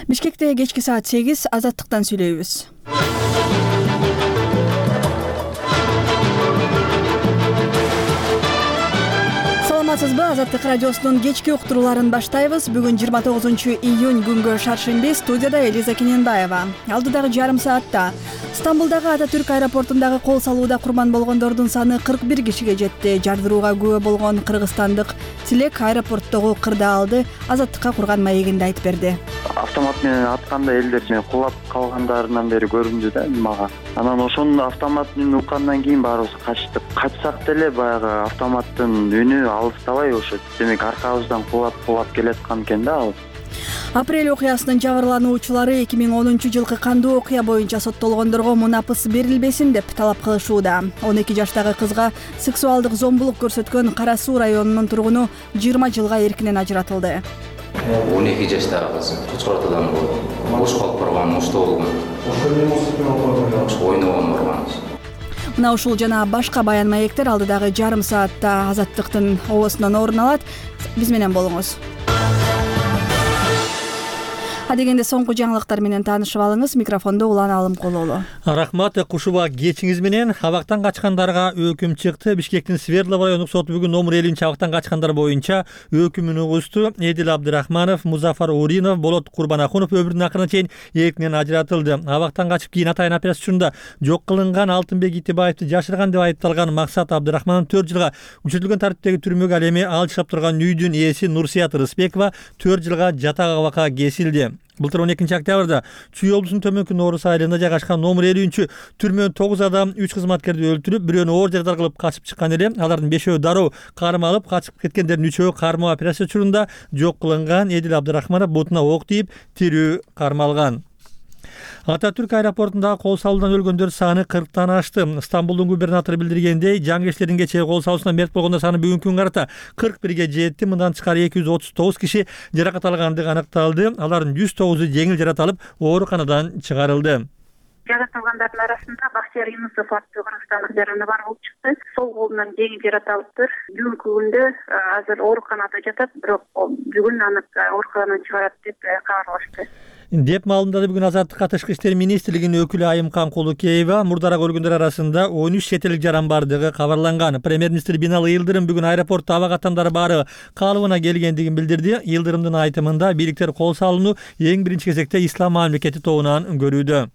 Бишкекте кечки саат 8 Азаттыктан сүйлөйбүз. Саламатсызбы? Азаттык радиосунун кечки уктурууларын баштайбыз. Бүгүн 29-июнь күнгө шаршемби. Студияда Элиза Кененбаева. Алдыдагы жарым саатта Стамбулдагы Ататүрк аэропортундагы кол салууда курман болгондордун саны 41 кишиге жетти. Жардырууга күбө болгон кыргызстандык Тилек аэропорттогу кырды алды. Азаттыкка курган маегинде айтып берди. Автомат менен атканда элдер кулап калгандарынан бери көрүндү да мага. Анан ошонун автомат үнүн уккандан кийин баарыбыз качтык. Качсак деле баягы автоматтын үнү алыстабай ошо демек аркабыздан кулап келаткан экен да ал. Апрель окуясынын жабырлануучулары 2010-жылкы кандуу окуя боюнча соттолгондорго мунапыс берилбесин деп талап кылышууда. 12 жаштагы кызга сексуалдык зомбулук көрсөткөн Кара Суу районунун тургуну 20 жылга эркинен ажыратылды. 12 жаштагы кыз кучкартуудан бош калып барган, ошто болгон. Ойногон барган. Мына ушул жана башка баян маектер алдыдагы жарым саатта Азаттыктын обосунан орун алат. Биз менен болуңуз. Адегенде соңку жаңылыктар менен таанышып алыңыз. Микрофондо Улан Алымкулуулу. Рахмат, кушуба кечиңиз менен. Абактан качкандарга өкүм чыкты. Бишкектин Свердлов райондук соту бүгүн номер 50-абактан качкандар боюнча өкүмүн угусту. Эдил Абдырахманов, Музафар Уринов, Болот Курбанахунов өмүрүнүн акырына чейин эркинен ажыратылды. Абактан качып кийин атайын операция учурунда жок кылынган Алтынбек Итибаевди жашырган деп айыпталган Максат Абдырахманов 4 жылга күчөтүлгөн тартиптеги түрмөгө, ал эми ал жашап турган үйдүн ээси Нурсият Рысбекова 4 жылга жатак абакка кесилди. Былтыр 12 октябрда Чүй облусунун Төмөнкү Норус айылында жайгашкан номер 50 түрмөнүн 9 адам 3 кызматкерди өлтүрүп, бирөөнү оор жарадар кылып качып чыккан эле. Алардын 5өө дароо кармалып алып, качып кеткендердин 3өө кармоо операция учурунда жок кылынган. Эдил Абдырахманов бутуна ок тийип, тирүү кармалган. Ататүрк аэропортундагы кол салуудан өлгөндөр саны 40тан ашты. Стамбулдун губернатору билдиргендей, жаңгечлердин кечээ кол салуусунан мерт болгондор саны бүгүнкү күнгө карата 41ге жетти. Мындан тышкары 239 киши жаракат алгандыгы аныкталды. Алардын 109-у жеңил жаракат алып, ооруканадан чыгарылды. Жаракат алгандардын арасында Бахтияр Юнусов аттуу кыргызстандык жараны бар болуп чыкты. Сол колунан жеңил жаракат алыптыр. Бүгүнкү күндө азыр ооруканада жатат, бирок бүгүн аны ооруканадан чыгарат деп кабарлашты. Деп маалымдады бүгүн Азаттыкка Тышкы иштер министрлигинин өкүлү Айымкан Кулукеева. Мурдараак өлгөндөр арасында 13 чет элдик жаран бардыгы кабарланган. Премьер-министр Бинали Йылдырым бүгүн аэропортто абак аттандары баары калыбына келгендигин билдирди. Йылдырымдын айтымында бийликтер кол салууну эң биринчи кезекте ислам мамлекети тобунан көрүүдө.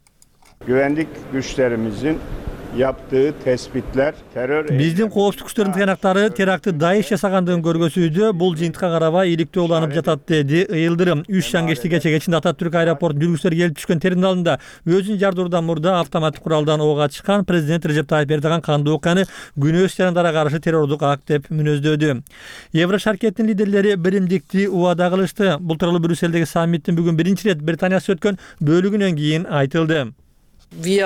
Güvenlik güçlerimizin yaptığı tespitler terör... Биздин коопсуздук күчтөрүнүн тыянактары терактты Даиш жасагандыгын көргөзүүдө. Бул жыйынтыкка карабай иликтөө уланып жатат, деди Йылдырым. 3 жаңгечти кече кечинде Ататүрк аэропортунун жүргүчүлөр келип түшкөн терминалында өзүн жардыруудан мурда автоматтык куралдан ок ачкан. Президент Режеп Тайып Эрдоган кандуу окуяны күнөөсүз жарандарга каршы террордук акт деп мүнөздөдү. Евро шаркеттин лидерлери биримдикти убада кылышты. Бул тууралуу Брюссельдеги саммиттин бүгүн биринчи ирет Британияда өткөн бөлүгүнөн кийин айтылды. Биз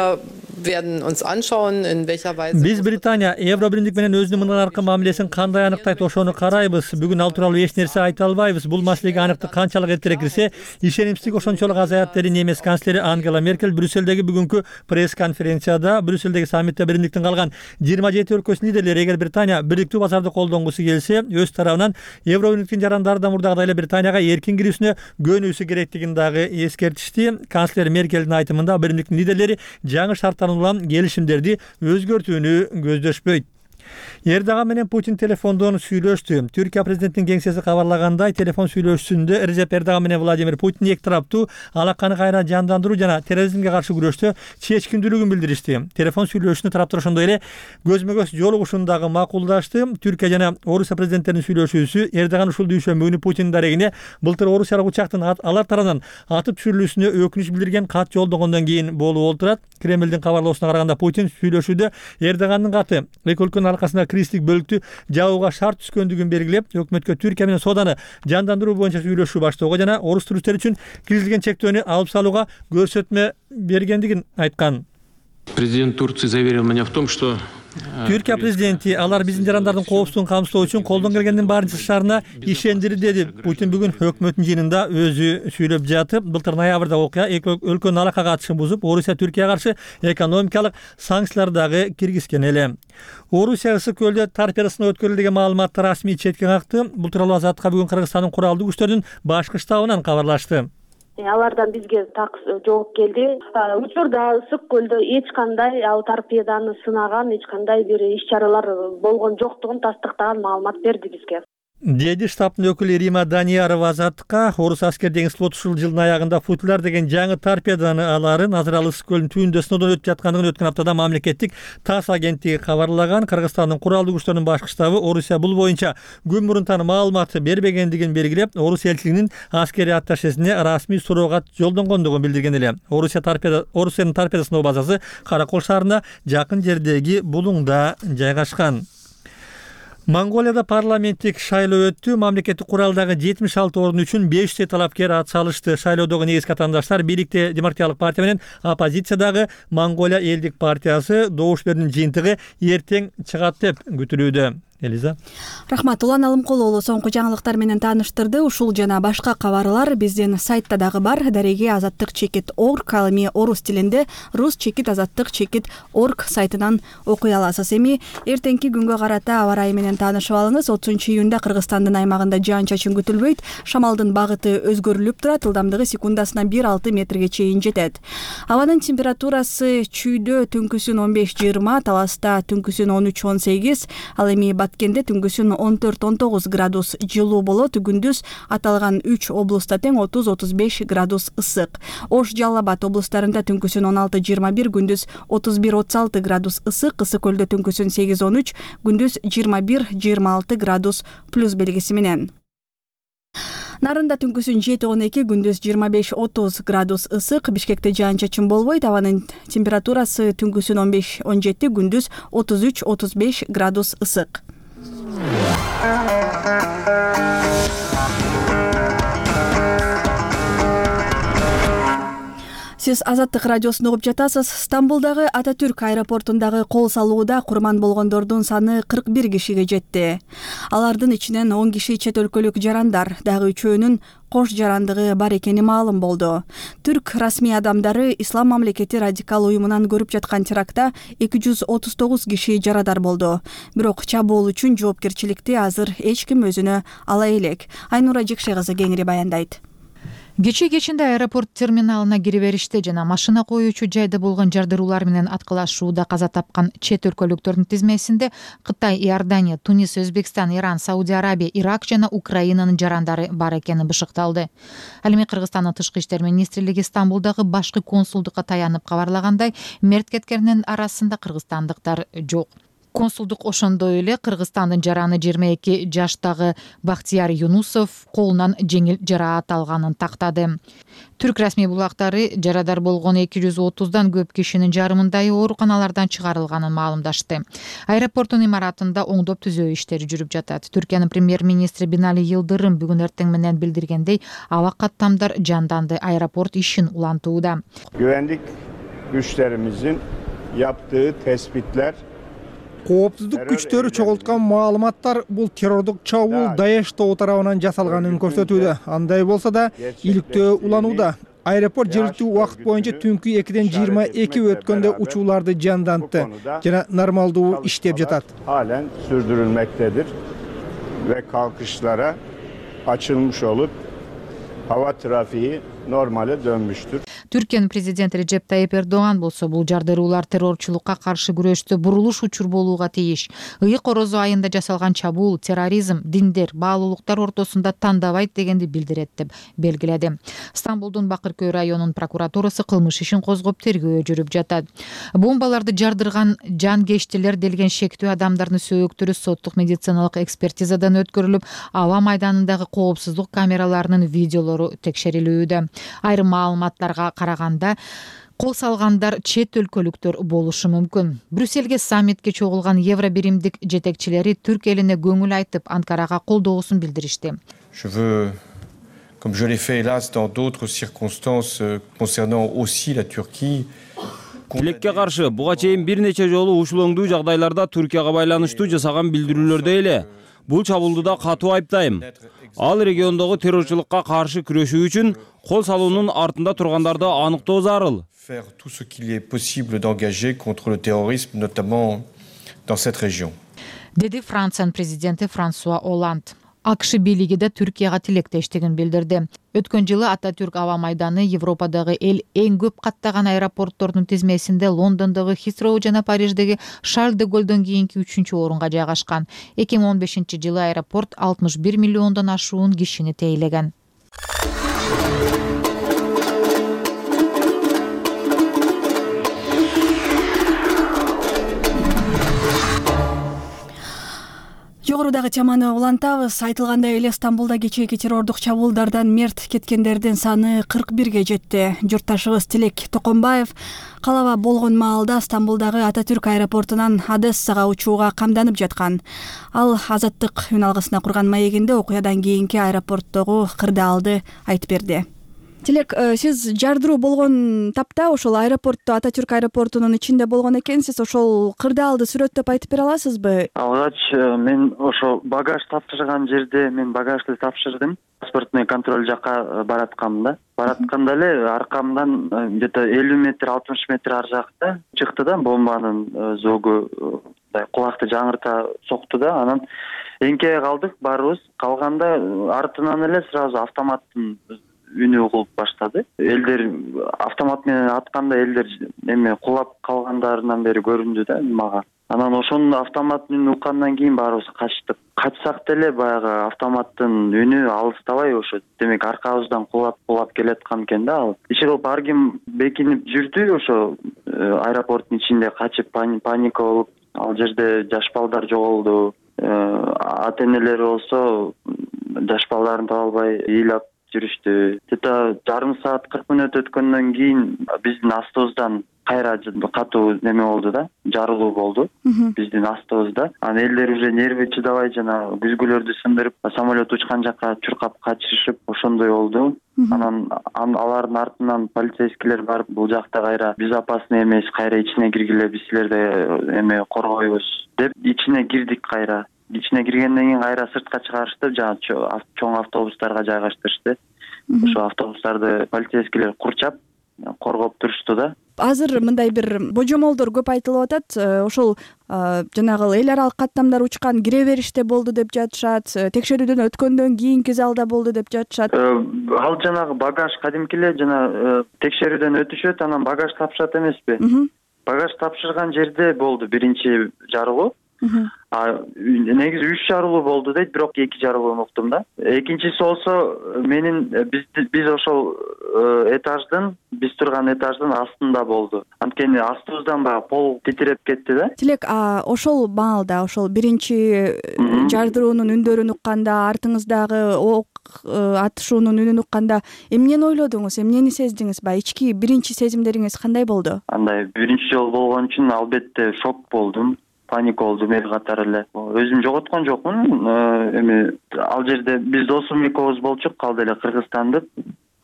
Британия Евро биримдик менен өзүнүн мындан аркы мамилесин кандай аныктайт, ошону карайбыз. Бүгүн ал тууралуу эч нерсе айта албайбыз. Бул маселеге аныктык канчалык эртерээк кирсе, ишенимсиздик ошончолук азаят, деди немис канцлери Ангела Меркель Брюссельдеги бүгүнкү пресс-конференцияда. Брюссельдеги саммитте биримдиктин калган 27 өлкөсүнүн лидерлери эгер Британия бириктүү базарды колдонгусу келсе, өз тарабынан Евро биримдиктин жарандары да мурдагыдай эле Британияга эркин кирүүсүнө көнүүсү керектигин дагы эскертишти. Канцлер Меркелдин айтымында биримдиктин лидерлери жаңы шарттардан улам келишимдерди өзгөртүүнү көздөшпөйт. Эрдоган менен Путин телефондон сүйлөштү. Түркия президентинин кеңсеси кабарлагандай, телефон сүйлөшүүсүндө Режеп Эрдоган менен Владимир Путин эки тараптуу алаканы кайра жандандыруу жана терроризмге каршы күрөштө чечкиндүүлүгүн билдиришти. Телефон сүйлөшүүнү тараптар ошондой эле көзмө-көз жолугушууну дагы макулдашты. Түркия жана Орусия президенттеринин сүйлөшүүсү Эрдоган ушул дүйшөмбү күнү Путиндин дарегине былтыр орусиялык учактын алар тарабынан атып түшүрүлүүсүнө өкүнүч билдирген кат жолдогондон кийин болуп отурат. Кремлдин кабарлоосуна караганда Путин сүйлөшүүдө Эрдогандын каты эки өлкөнүн аркасында кристик бөлүктү жабууга шарт түшкөндүгүн белгилеп, өкмөткө Түркия менен сооданы жандандыруу боюнча сүйлөшүү баштоого жана орус туристтер үчүн киргизилген чектөөнү алып салууга көрсөтмө бергендигин айткан. Президент Турции заверил меня в том, что Түркия президенти алар биздин жарандардын коопсуздугун камсыздоо үчүн колдон келгендин баарын жасашарына ишендирди, деди. Путин бүгүн өкмөттүн жыйынында өзү сүйлөп жатып, былтыр ноябрда окуя эки өлкөнүн алака катышын бузуп, Орусия Түркияга каршы экономикалык санкциялар дагы киргизген эле. Орусия ысык көлдө торпедосуна өткөрүлдү маалыматты расмий четке какты. Бул тууралуу Азаттыкка бүгүн Кыргызстандын куралдуу күчтөрүнүн башкы штабынан кабарлашты. Алардан бизге так жооп келди. Учурда Ысык көлдө эч кандай ал торпеданы сынаган, эч кандай бир иш-чаралар болгон жоктугун тастыктаган маалымат берди бизге. Деди штабтын өкүлү Рима Даниярова Азаттыкка. Орус аскер деңиз флоту ушул жылдын аягында Футляр деген жаңы торпеданы аларын азыр ал Ысык көлүнүн түбүндө сыноодон өтүп жаткандыгын өткөн аптада мамлекеттик ТАСС агенттиги кабарлаган. Кыргызстандын куралдуу күчтөрүнүн башкы штабы Орусия бул боюнча күн мурунтан маалымат бербегендигин белгилеп, Орус элчилигинин аскерий атташесине расмий суроо жолдонгондугун билдирген эле. Орусиянын торпеда сыноо базасы Каракол шаарына жакын жердеги Булуңда жайгашкан. Монголияда парламенттик шайлоо өттү. Мамлекеттик куралдагы 76 орун үчүн 500 талапкер ат салышты. Шайлоодогу негизги катандаштар бийликте Демократиялык партия менен оппозициядагы Монголия элдик партиясы. Добуш берүүнүн жыйынтыгы эртең чыгат деп күтүлүүдө. Элиза. Рахмат. Улан Алымкулова соңку жаңылыктар менен тааныштырды. Ушул жана башка кабарлар биздин сайтта дагы бар. Дареги азаттык-орг, ал эми орус тилинде rus-azattyk.org сайтынан окуй аласыз. Эми эртеңки күнгө карата аба ырайы менен таанышып алыңыз. 30-июнда Кыргызстандын аймагында жаан-чачын күтүлбөйт. Шамалдын багыты өзгөрүлүп турат. Ылдамдыгы секундасына 1-6 метрге чейин жетет. Абанын температурасы чүйдө түнкүсүн 15-20, Таласта түнкүсүн 13-18, ал эми Баткенде түнгүсүн 14-19 градус жылуу болот. Күндүз аталган 3 облуста тең 30-35 градус ысык. Ош, Жалал Абад облустарында түнкүсүн 16-21, күндүз 31-36 градус ысык. Ысык көлдө түнкүсүн 8-13, күндүз 21-26 градус плюс белгиси менен. Нарында түнкүсүн 7-12, күндүз 25-30 градус ысык. Бишкекте жаан-чачын болбойт. Абанын температурасы түнкүсүн 15-17, күндүз 33-35 градус ысык. Сиз Азаттык радиосун угуп жатасыз. Стамбулдагы Ататүрк аэропортундагы кол салууда курман болгондордун саны 41 кишиге жетти. Алардын ичинен 10 киши чет өлкөлүк жарандар, дагы 3-өөнүн кош жарандыгы бар экени маалым болду. Түрк расмий адамдары Ислам мамлекети радикал уюмунан көрүп жаткан терактта 239 киши жарадар болду. Бирок чабуул үчүн жоопкерчиликти азыр эч ким өзүнө ала элек. Айнура Жекше кызы кеңири баяндайт. Кечинде аэропорт терминалына кире бериште жана машина коюучу жайда болгон жардыруулар менен аткылашууда каза тапкан чет өлкөлүктөрдүн тизмесинде Кытай, Иордания, Тунис, Өзбекстан, Иран, Сауди Арабия, Ирак жана Украинанын жарандары бар экени бышыкталды. Ал эми Кыргызстандын тышкы иштер министрлиги Стамбулдагы башкы консулдукка таянып кабарлагандай, мерт кеткендердин арасында кыргызстандыктар жок. Консулдук ошондой эле Кыргызстандын жараны 22 жаштагы Бактияр Юнусов колунан жеңил жараат алганын тактады. Түрк расмий булактары жарадар болгон 230дан көп кишинин жарымындайы ооруканалардан чыгарылганын маалымдашты. Аэропорттун имаратында оңдоп түзөө иштери жүрүп жатат. Түркиянын премьер-министри Бинали Йылдырым бүгүн эртең менен билдиргендей, аба каттамдар жанданды, аэропорт ишин улантууда. Güvenlik güçlerimizin yaptığı tespitler Коопсуздук күчтөрү чогулткан маалыматтар бул террордук чабуул Даеш тобу тарабынан жасалганын көрсөтүүдө. Андай болсо да иликтөө уланууда. Аэропорт жергиликтүү убакыт боюнча түнкү 2-ден 22 өткөндө учууларды жандантты жана нормалдуу иштеп жатат. Halen sürdürülmektedir ve kalkışlara açılmış olup hava trafiği normale dönmüştür. Түркиянын президенти Режеп Тайип Эрдоган болсо бул жардыруулар террорчулукка каршы күрөштө бурулуш учур болууга тийиш. Ыйык Орозо айында жасалган чабуул терроризм, диндер, баалуулуктар ортосунда тандабайт дегенди билдирет деп белгиледи. Стамбулдун Бакыркөй районунун прокуратурасы кылмыш ишин козгоп тергөө жүрүп жатат. Бомбаларды жардырган жангечтилер делген шектүү адамдардын сөөктөрү соттук медициналык экспертизадан өткөрүлүп, аба майданындагы коопсуздук камераларынын видеолору текшерилүүдө. Айрым маалыматтарга караганда кол салгандар чет өлкөлүктөр болушу мүмкүн. Брюссельге саммитке чогулган Евро биримдик жетекчилери Түрк элине көңүл айтып, Анкарага колдоосун билдиришти. Je veux, comme je l'ai fait hélas dans d'autres circonstances concernant aussi la Turquie. Тилекке каршы буга чейин бир нече жолу ушул оңдуу жагдайларда Түркияга байланыштуу жасаган билдирүүлөрдө эле бул чабуулду да катуу айыптайм. Ал региондогу террорчулукка каршы күрөшүү үчүн кол салуунун артында тургандарды аныктоо зарыл. Faire tout ce qu'il est possible d'engager contre le terrorisme, notamment dans cette région. Деди Франциянын президенти Франсуа Оланд. АКШ бийлиги да Түркияга тилектештигин билдирди. Өткөн жылы Ататүрк аба майданы Европадагы эң көп каттаган аэропорттордун тизмесинде Лондондогу Хитроу жана Париждеги Шарль де Голлдон кийинки 3-орунга жайгашкан. 2015-жылы аэропорт 61 миллиондон ашуун кишини тейлеген. Жогорудагы теманы улантабыз. Айтылгандай эле Стамбулда кечээки террордук чабуулдардан мерт кеткендердин саны 41ге жетти. Журтташыбыз Тилек Токонбаев калаба болгон маалда Стамбулдагы Ататүрк аэропортунан Одессага учууга камданып жаткан. Ал Азаттык үн алгысына курган маегинде окуядан кийинки аэропорттогу кырдаалды айтып берди. Тилек, сиз жардыруу болгон тапта ошол аэропортто, Ататүрк аэропортунун ичинде болгон экенсиз. Ошол кырдаалды сүрөттөп айтып бере аласызбы? Алгач мен ошо багаж тапшырган жерде мен багажды тапшырдым. Паспортный контроль жакка бараткам да. Баратканда эле аркамдан где-то 50 метр, 60 метр ар жакта чыкты да бомбанын зогу, кулакты жаңырта сокту да. Анан эңкейе калдык баарыбыз. Калганда артынан эле сразу автоматтын үнү угулуп баштады. Элдер автомат менен атканда элдер эме кулап калгандарынан бери көрүндү да мага. Анан ошонун автоматтын үнүн уккандан кийин баарыбыз качтык. Качсак деле баягы автоматтын үнү алыстабай ошо. Демек аркабыздан кулап келаткан экен да ал. Иши кылып ар ким бекинип жүрдү ошо аэропорттун ичинде качып паника болуп. Ал жерде жаш балдар жоголду. Ата-энелери болсо жаш балдарын таба албай ыйлап жүрүштү. Где-то жарым саат 40 мүнөт өткөндөн кийин биздин астыбыздан кайра катуу неме болду да, жарылуу болду биздин астыбызда. Анан элдер уже нерви чыдабай жана күзгүлөрдү сындырып, самолет учкан жакка чуркап качышып, ошондой болду. Анан алардын артынан полицейскийлер барып, бул жакта кайра безопасный эмес, кайра ичине киргиле, биз силерди эме коргойбуз деп ичине кирдик кайра. Ичине киргенден кийин кайра сыртка чыгарышты, жана чоң автобустарга жайгаштырышты. Ошо автобустарды полицейскийлер курчап, коргоп турушту да. Азыр мындай бир божомолдор көп айтылып атат. Ошол жанагы эл аралык каттамдар учкан кире бериште болду деп жатышат. Текшерүүдөн өткөндөн кийинки залда болду деп жатышат. Ал жанагы багаж кадимки эле жана текшерүүдөн өтүшөт, анан багаж тапшырат эмеспи? Багаж тапшырган жерде болду биринчи жарылуу. Негизи 3 жарылуу болду дейт, бирок 2 жарылууну уктум да. Экинчиси болсо биз ошол этаждын, биз турган этаждын астында болду. Анткени астыбыздан баягы пол титиреп кетти да. Тилек, ошол маалда, ошол биринчи жардыруунун үндөрүн укканда, артыңыздагы ок атышуунун үнүн укканда эмнени ойлодуңуз, эмнени сездиңиз? Ички биринчи сезимдериңиз кандай болду? Андай биринчи жолу болгон үчүн албетте шок болдум. Паника болдум эл катары эле. Өзүм жоготкон жокмун. Эми ал жерде биз досум экөөбүз болчук, калды эле Кыргызстандык.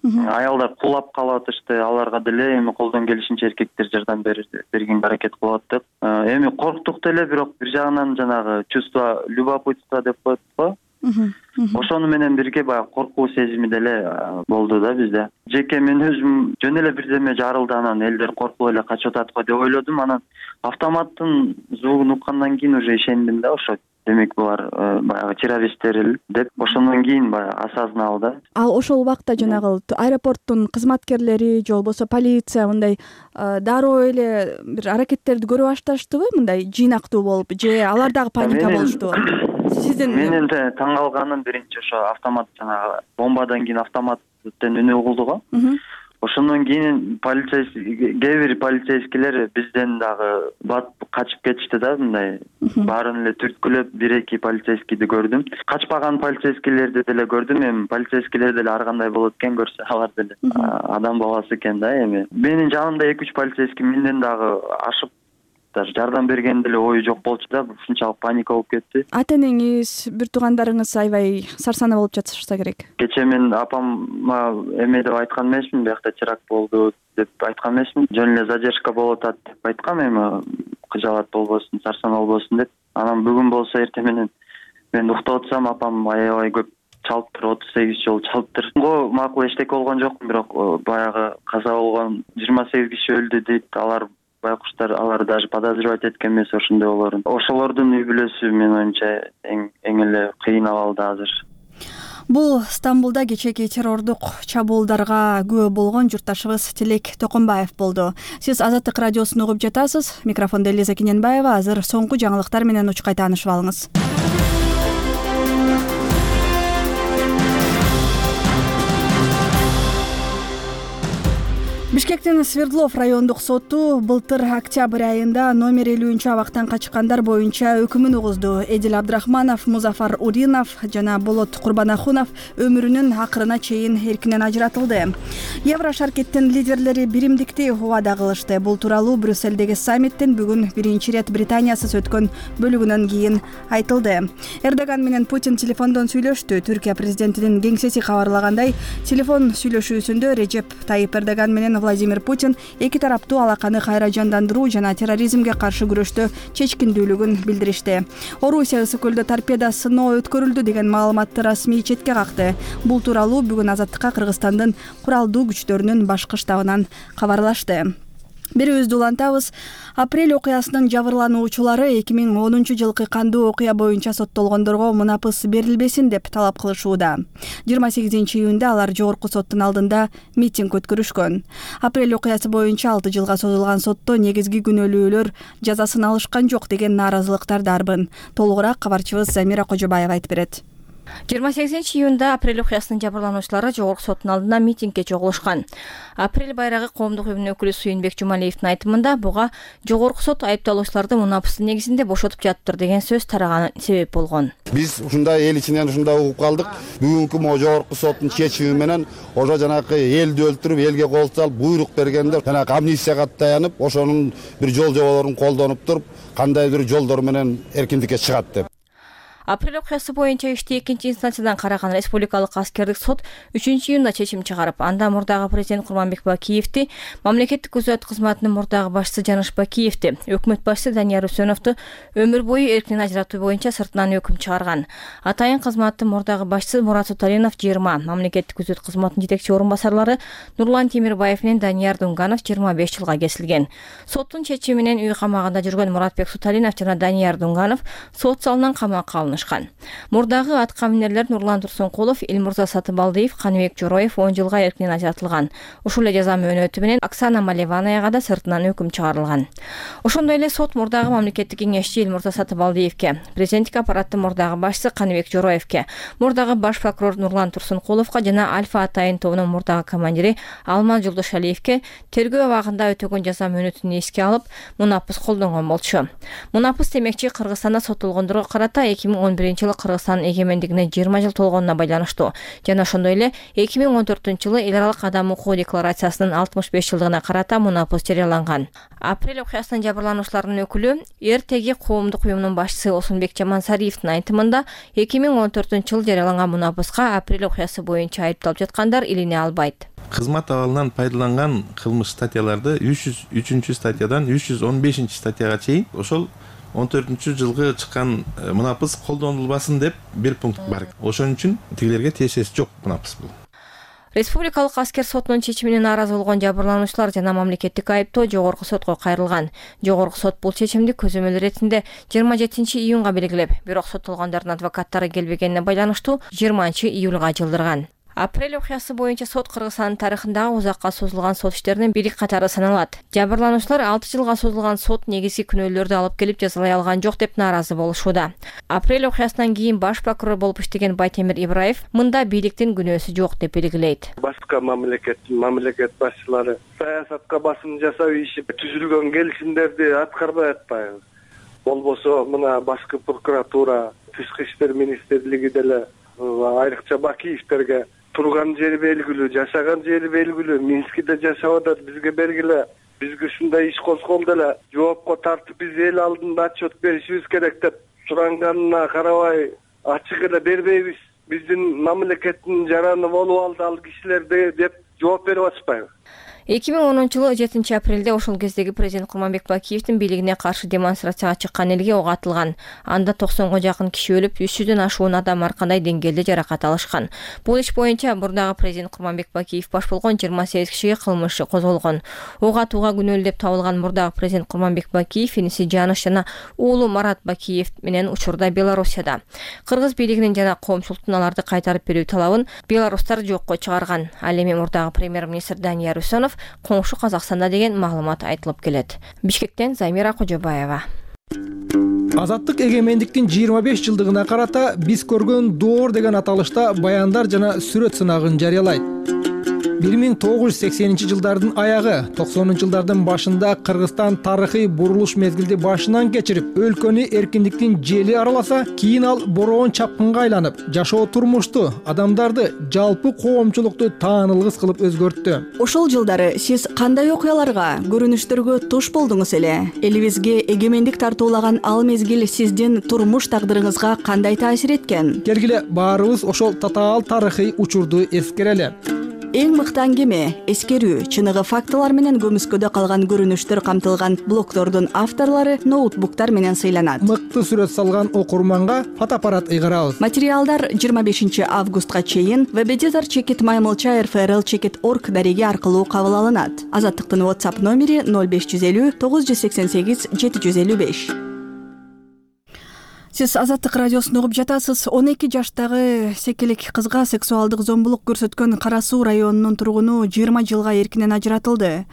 Аялдар кулап калып атышты. Аларга деле эми колдон келишинче эркектер жардам бергенге аракет кылып аттык. Эми корктук деле, бирок бир жагынан жанагы чувство любопытства деп коет го. Ошону менен бирге баягы коркуу сезими деле болду да бизде. Жеке мен өзүм жөн эле бирдеме жарылды, анан элдер коркуп эле качып атат го деп ойлодум. Анан автоматтын звугун уккандан кийин уже ишендим да, ошо демек булар баягы террористтер деп. Ошондон кийин баягы осознал да. Ал ошол убакта жанагы аэропорттун кызматкерлери же болбосо полиция мындай дароо эле бир аракеттерди көрө башташтыбы, мындай жыйнактуу болуп, же алар дагы паника болуштубу? Менин да таң калганым биринчи ошо автомат, жанагы бомбадан кийин автоматтын үнү угулду го. Ошондон кийин кээ бир полицейскийлер бизден дагы качып кетишти да, мындай баарын эле түрткүлөп, 1-2 полицейскийди көрдүм. Качпаган полицейскийлерди деле көрдүм. Эми полицейскийлер деле ар кандай болот экен, көрсө алар деле адам баласы экен да. Эми менин жанымда 2-3 полицейский менден дагы ашып жардам берген деле ою жок болчу да, ушунчалык паника болуп кетти. Ата-энеңиз, бир туугандарыңыз аябай сарсана болуп жатышса керек. Кечээ мен апама эме деп айткан эмесмин, биякта теракт болду деп айткан эмесмин. Жөн эле задержка болуп атат деп айткам, эми кыжалат болбосун, сарсана болбосун деп. Анан бүгүн болсо эртең менен мен уктап атсам, апам аябай көп чалыптыр, 38 жолу чалыптыр. Макул эчтеке болгон жокмун, бирок баягы каза болгон 28 киши өлдү дейт. Алар байкуштар алар даже подозревать эткен эмес ошондой болоорун. Ошолордун үй бүлөсү менин оюмча эң эле кыйын абалда азыр. Бул Стамбулда кечээки террордук чабуулдарга күбө болгон журтташыбыз Тилек Токонбаев болду. Сиз Азаттык радиосун угуп жатасыз. Микрофондо Элиза Кененбаева. Азыр соңку жаңылыктар менен учкай таанышып алыңыз. Бишкектин Свердлов райондук соту былтыр октябрь айында номер 50 абактан качкандар боюнча өкүмүн угузду. Эдил Абдрахманов, Музафар Уринов жана Болот Курбанахунов өмүрүнүн акырына чейин эркинен ажыратылды. Еврошаркеттин лидерлери биримдикти убада кылышты. Бул тууралуу Брюссельдеги саммиттин бүгүн биринчи ирет Британиясыз өткөн бөлүгүнөн кийин айтылды. Эрдоган менен Путин телефондон сүйлөштү. Түркия президентинин кеңсеси кабарлагандай, телефон сүйлөшүүсүндө Режеп Тайип Эрдоган менен Владимир Путин эки тараптуу алаканы кайра жандандыруу жана терроризмге каршы күрөштө чечкиндүүлүгүн билдиришти. Орусия ысык көлдө торпеда сыноо өткөрүлдү деген маалыматты расмий четке какты. Бул тууралуу бүгүн Азаттыкка Кыргызстандын куралдуу күчтөрүнүн башкы штабынан кабарлашты. Бирибизди улантабыз. Апрель окуясынын жабырлануучулары 2010 жылкы кандуу окуя боюнча соттолгондорго мунапыс берилбесин деп талап кылышууда. 28 июнда алар жогорку соттун алдында митинг өткөрүшкөн. Апрель окуясы боюнча 6 жылга созулган сотто негизги күнөөлүүлөр жазасын алышкан жок деген нааразылыктар дарбын. Толугураак кабарчыбыз Замира Кожобаева айтып берет. 28 июнда апрель окуясынын жабырлануучулары жогорку соттун алдында митингге чогулушкан. Апрель байрагы коомдук уюмунун өкүлү Суюнбек Жумалиевдин айтымында буга жогорку сот айыпталуучуларды мунапыстын негизинде бошотуп жатыптыр деген сөз тараганы себеп болгон. Биз ушундай эл ичинен ушундай угуп калдык. Бүгүнкү могу жогорку соттун чечими менен ошо жанакы элди өлтүрүп, элге кол салып, буйрук бергенде жанакы амнистияга таянып, ошонун бир жол жоболорун колдонуп туруп, кандайдыр жолдор менен эркиндикке чыгат деп. Апрель окуясы боюнча ишти экинчи инстанциядан караган республикалык аскердик сот 3 июнда чечим чыгарып, анда мурдагы президент Курманбек Бакиевди, мамлекеттик күзөт кызматынын мурдагы башчысы Жаныш Бакиевди, өкмөт башчысы Данияр Үсөновду өмүр бою эркинен ажыратуу боюнча сыртынан өкүм чыгарган. Атайын кызматтын мурдагы башчысы Мурат Суталинов 20, мамлекеттик күзөт кызматынын жетекчи орун басарлары Нурлан Темирбаев менен Данияр Дунганов 25 жылга кесилген. Соттун чечими менен үй камагында жүргөн Муратбек Суталинов жана Данияр Дунганов сот залынан камакка алынышкан. Мурдагы атка минерлер Нурлан Турсункулов, Элмурза Сатыбалдиев, Каныбек Жороев 10 жылга эркинен ажыратылган. Ушул эле жаза мөөнөтү менен Оксана Малеванаяга да сыртынан өкүм чыгарылган. Ошондой эле сот мурдагы мамлекеттик кеңешчи Элмурза Сатыбалдиевке, президенттик аппараттын мурдагы башчысы Каныбек Жороевке, мурдагы баш прокурор Нурлан Турсункуловго жана Альфа Атайын тобунун мурдагы командири Алмаз Жолдошалиевке тергөө абагында өтөгөн жаза мөөнөтүн эске алып, мунапыс колдонгон болчу. Мунапыс демекчи Кыргызстанда соттолгондорго карата 2011 жылы Кыргызстандын эгемендигине 20 жыл толгонуна байланыштуу. Жана ошондой эле 2014 жылы эл аралык адам укугу декларациясынын 65 жылдыгына карата мунапыс жарыяланган. Апрель окуясынын жабырлануучуларынын өкүлү РТГ коомдук уюмунун башчысы Осунбек Жамансариевдин айтымында 2014 жылы жарыяланган мунапыска апрель окуясы боюнча айыпталып жаткандар илине албайт. Кызмат абалынан пайдаланган кылмыш статьяларды 303 статьядан 315 статьяга чейин ошол 14 жылгы чыккан мунапыс колдонулбасын деп бир пункт бар. Ошон үчүн тигилерге тиешеси жок мунапыс бул. Республикалык аскер сотунун чечимине нааразы болгон жабырлануучулар жана мамлекеттик айыптоо жогорку сотко кайрылган. Жогорку сот бул чечимди көзөмөл иретинде 27 июнга белгилеп, бирок соттолгондордун адвокаттары келбегенине байланыштуу 20 июлга жылдырган. Апрель окуясы боюнча сот Кыргызстандын тарыхындагы узакка созулган сот иштеринин бири катары саналат. Жабырлануучулар 6 жылга созулган сот негизги күнөөлөрдү алып келип жазалай алган жок деп нааразы болушууда. Апрель окуясынан кийин баш прокурор болуп иштеген Байтемир Ибраев мында бийликтин күнөөсү жок деп белгилейт. Башка мамлекет башчылары саясатка басым жасап ишип түзүлгөн келишимдерди аткарбай атпайбы. Болбосо мына башкы прокуратура, тышкы иштер министрлиги деле айрыкча Бакиевтерге турган жери белгилүү, жашаган жери белгилүү, Минскиде жашап атат, бизге бергиле. Бизге ушундай иш козголду эле, жоопко тартып биз эл алдында отчет беришибиз керек деп суранганына карабай ачык эле бербейбиз. Биздин мамлекеттин жараны болуп алды ал кишилерде деп жооп берип атышпайбы. 2010-жылы 7 апрелде ошол кездеги президент Курманбек Бакиевдин бийлигине каршы демонстрацияга чыккан элге ок атылган. Анда 90га жакын киши өлүп, 300дөн ашуун адам ар кандай деңгээлде жаракат алышкан. Бул иш боюнча мурдагы президент Курманбек Бакиев баш болгон 28 кишиге кылмыш козголгон. Ок атууга күнөөлүү деп табылган мурдагы президент Курманбек Бакиев иниси Жаныш жана уулу Марат Бакиев менен учурда Белоруссияда. Кыргыз бийлигинин жана коомчулуктун аларды кайтарып берүү талабын белорустар жокко чыгарган. Ал эми мурдагы премьер-министр Данияр Үсөнов коңшу Казакстанда деген маалымат айтылып келет. Бишкектен Замира Кожобаева. Азаттык эгемендиктин 25 жылдыгына карата биз көргөн доор деген аталышта баяндар жана сүрөт сынагын жарыялайт. 1980-жылдардын аягы, 90-жылдардын башында Кыргызстан тарыхый бурулуш мезгилди башынан кечирип, өлкөнү эркиндиктин жели араласа, кийин ал бороон чапкынга айланып, жашоо турмушту, адамдарды, жалпы коомчулукту таанылгыс кылып өзгөрттү. Ошол жылдары сиз кандай окуяларга, көрүнүштөргө туш болдуңуз эле? Элибизге эгемендик тартуулаган ал мезгил сиздин турмуш тагдырыңызга кандай таасир эткен? Келгиле баарыбыз ошол татаал тарыхый учурду эскерели. Эң мыкты аңгеме, эскерүү, чыныгы фактылар менен көмүскөдө калган көрүнүштөр камтылган блогтордун авторлору ноутбуктар менен сыйланат. Мыкты сүрөт салган окурманга фотоаппарат ыйгарабыз. Материалдар 25 августка чейин www.maymilcha.rfrl.org дареги аркылуу кабыл алынат. Азаттыктын WhatsApp номери 0550 988 755. Сиз Азаттык радиосун угуп жатасыз. 12 жаштагы секелек кызга сексуалдык зомбулук көрсөткөн Кара Суу районунун тургуну 20 жылга эркинен ажыратылды.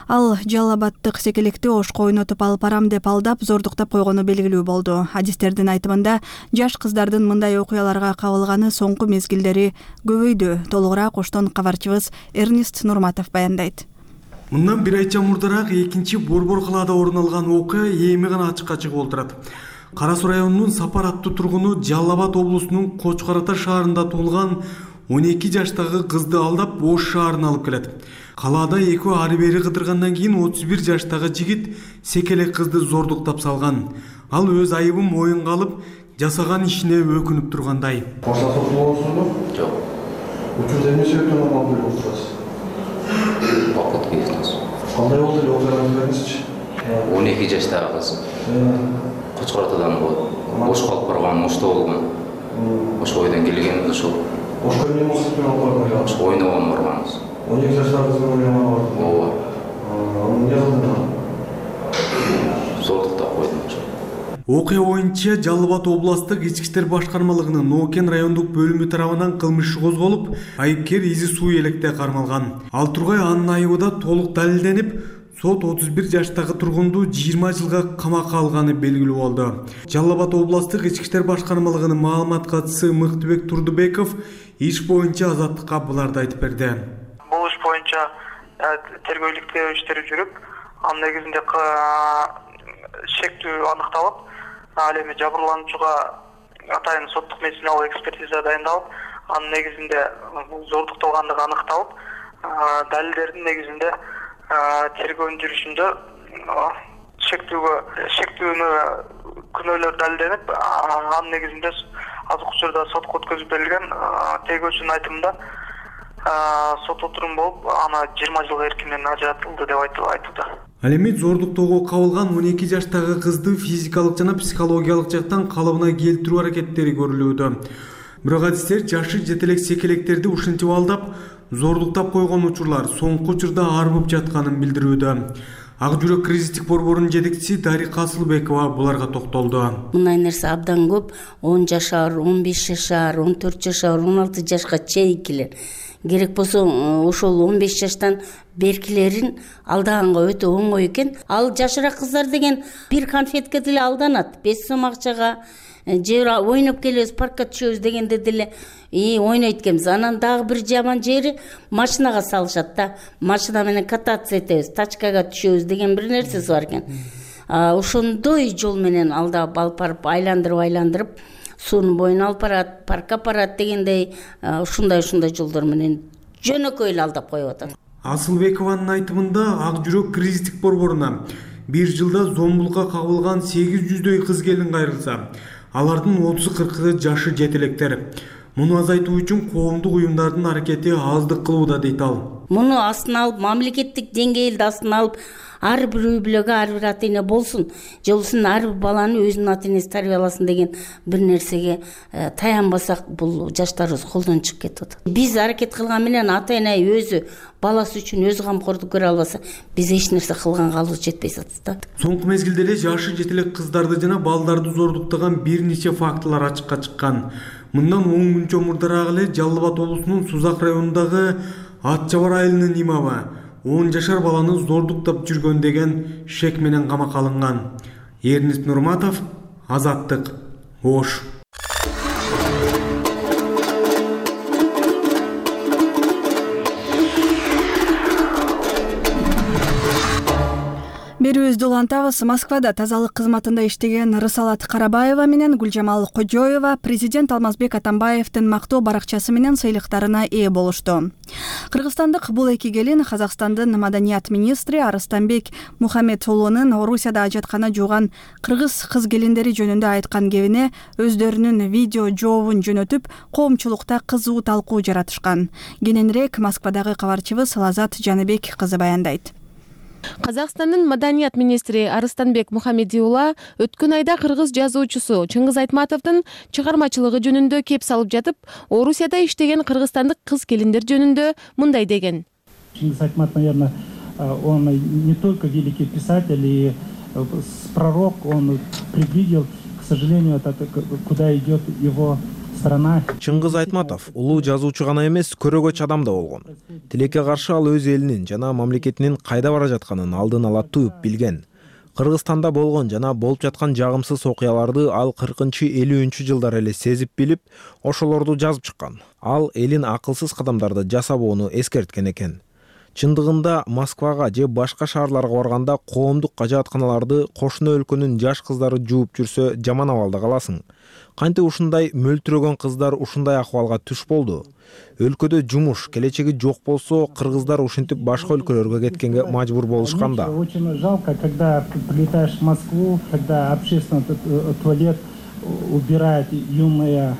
Ал Жалал Абадтык секелекти ошко ойнотуп алып барам деп алдап, зордуктап койгону белгилүү болду. Адистердин айтымында, жаш кыздардын мындай окуяларга кабылганы соңку мезгилдери көбөйдү. Толугураак Оштон кабарчыбыз Эрнест Нурматов баяндайт. Мындан бир айча мурдараак экинчи Борбор калаада орун алган окуя эми гана ачыкка чыгып олтурат. Кара Суу районунун Сапар аттуу тургуну Жалал Абад облусунун Кочкор Ата шаарында туулган 12 жаштагы кызды алдап Ош шаарына алып келет. Калаада экөө ары бери кыдыргандан кийин 31 жаштагы жигит секелек кызды зордуктап салган. Ал өз айыбын моюнга алып, жасаган ишине өкүнүп тургандай. Башка сотулуусузбу? Жок. Учурда эмне себептен алып келип Бакыт кийиптиз. Кандай болду эле окуяңызды бериңизчи? 12 жаштагы кыз. Кочкор Атадан Ошко алып барган, Ошто болгон. Ошо ойдон келгенбиз ошол. Ошко эмне максатпен алып барган? Ошо ойногон барганбыз. 12 жаштагы кыздын ойногону бар. Ооба. Эмне кылдың? Зордуктап койдум ошо. Окуя боюнча Жалал Абад областтык ички иштер башкармалыгынын Нокен райондук бөлүмү тарабынан кылмыш иши козголуп, айыпкер Изи Суу электе кармалган. Ал тургай анын айыбы да толук далилденип, сот 31 жаштагы тургунду 20 жылга камакка алганы белгилүү болду. Жалал Абад областтык ички иштер башкармалыгынын маалымат катчысы Мыктыбек Турдубеков иш боюнча Азаттыкка буларды айтып берди. Бул иш боюнча тергөөлүк иштери жүрүп, анын негизинде шектүү аныкталып, ал эми жабырлануучуга атайын соттук медициналык экспертиза дайындалып, анын негизинде бул зордукталгандыгы аныкталып, далилдердин негизинде тергөөнүн жүрүшүндө шектүүнү күнөөлөр далилденип, анын негизинде азыркы учурда сотко өткөзүп берилген. Тергөөчүнүн айтымында сот отурум болуп, аны 20 жылга эркинен ажыратылды деп айтылды. Ал эми зордуктоого кабылган 12 жаштагы кызды физикалык жана психологиялык жактан калыбына келтирүү аракеттери көрүлүүдө. Бирок адистер жашы жетелек секелектерди ушинтип алдап, зордуктап койгон учурлар соңку учурда арбып жатканын билдирүүдө. Ак жүрөк кризистик борборунун жетекчиси Дарика Асылбекова буларга токтолду. Мындай нерсе абдан көп. 10 жашар, 15 жашар, 14 жашар, 16 жашка чейинкилер. Керек болсо ошол 15 жаштан беркилерин алдаганга өтө оңой экен. Ал жашыраак кыздар деген бир конфетке деле алданат. 5 сом акчага же ойноп келебиз, паркка түшөбүз дегенде деле ойнойт экенбиз. Анан дагы бир жаман жери машинага салышат да. Машина менен кататься этебиз, тачкага түшөбүз деген бир нерсеси бар экен. Ошондой жол менен алдап алып барып айландырып суунун боюна алып барат, паркка апарат дегендей ушундай жолдор менен жөнөкөй эле алдап коюп атат. Асылбекованын айтымында Ак жүрөк кризистик борборуна бир жылда зомбулукка кабылган 800дөй кыз келин кайрылса, алардын 30-40 жашы жетелектер. Муну азайтуу үчүн коомдук уюмдардын аракети аздык кылууда дейт ал. Муну астына алып, мамлекеттик деңгээлде астына алып, ар бир үй бүлөгө ар бир ата эне болсун, же болбосо ар бир баланы өзүнүн ата энеси тарбияласын деген бир нерсеге таянбасак, бул жаштарыбыз колдон чыгып кетип атат. Биз аракет кылган менен ата эне өзү баласы үчүн өзү камкордук көрө албаса, биз эч нерсе кылганга алыбыз жетпей жатат да. Соңку мезгилде эле жашы жете элек кыздарды жана балдарды зордуктаган бир нече фактылар ачыкка чыккан. Мындан 10 күн чомурдараак эле Жалал Абад облусунун Сузак районундагы Ат Жабар айылынын имамы 10 жашар баланы зордуктап жүргөн деген шек менен камакка алынган. Эрнест Нурматов, Азаттык, Ош. Берүүбүздү улантабыз. Москвада тазалык кызматында иштеген Рысалат Карабаева менен Гүлжамал Кожоева президент Алмазбек Атамбаевдин мактоо баракчасы менен сыйлыктарына ээ болушту. Кыргызстандык бул эки келин Казакстандын маданият министри Арыстанбек Мухаммедулунун Орусияда ажаткана жууган кыргыз кыз келиндери жөнүндө айткан кебине өздөрүнүн видео жообун жөнөтүп, коомчулукта кызуу талкуу жаратышкан. Кененирээк Москвадагы кабарчыбыз Лазат Жаныбек кызы баяндайт. Казакстандын маданият министри Арыстанбек Мухаммедулла өткөн айда кыргыз жазуучусу Чыңгыз Айтматовдун чыгармачылыгы жөнүндө кеп салып жатып, Орусияда иштеген кыргызстандык кыз келиндер жөнүндө мындай деген. Чыңгыз Айтматов, наверное, он не только великий писатель и пророк, он предвидел, к сожалению, это куда идет его страна. Чыңгыз Айтматов улуу жазуучу гана эмес, көрөгөч адам да болгон. Тилекке каршы ал өз элинин жана мамлекетинин кайда бара жатканын алдын ала туюп билген. Кыргызстанда болгон жана болуп жаткан жагымсыз окуяларды ал 40-50 жылдар эле сезип билип, ошолорду жазып чыккан. Ал элин акылсыз кадамдарды жасабоону эскерткен экен. Чындыгында Москвага же башка шаарларга барганда коомдук ажатканаларды кошуна өлкөнүн жаш кыздары жууп жүрсө жаман абалда каласың. Кантип ушундай мөлтүрөгөн кыздар ушундай акыбалга түш болду? Өлкөдө жумуш, келечеги жок болсо, кыргыздар ушинтип башка өлкөлөргө кеткенге мажбур болушкан да. Очень жалко, когда прилетаешь в Москву, когда общественный туалет убирают юные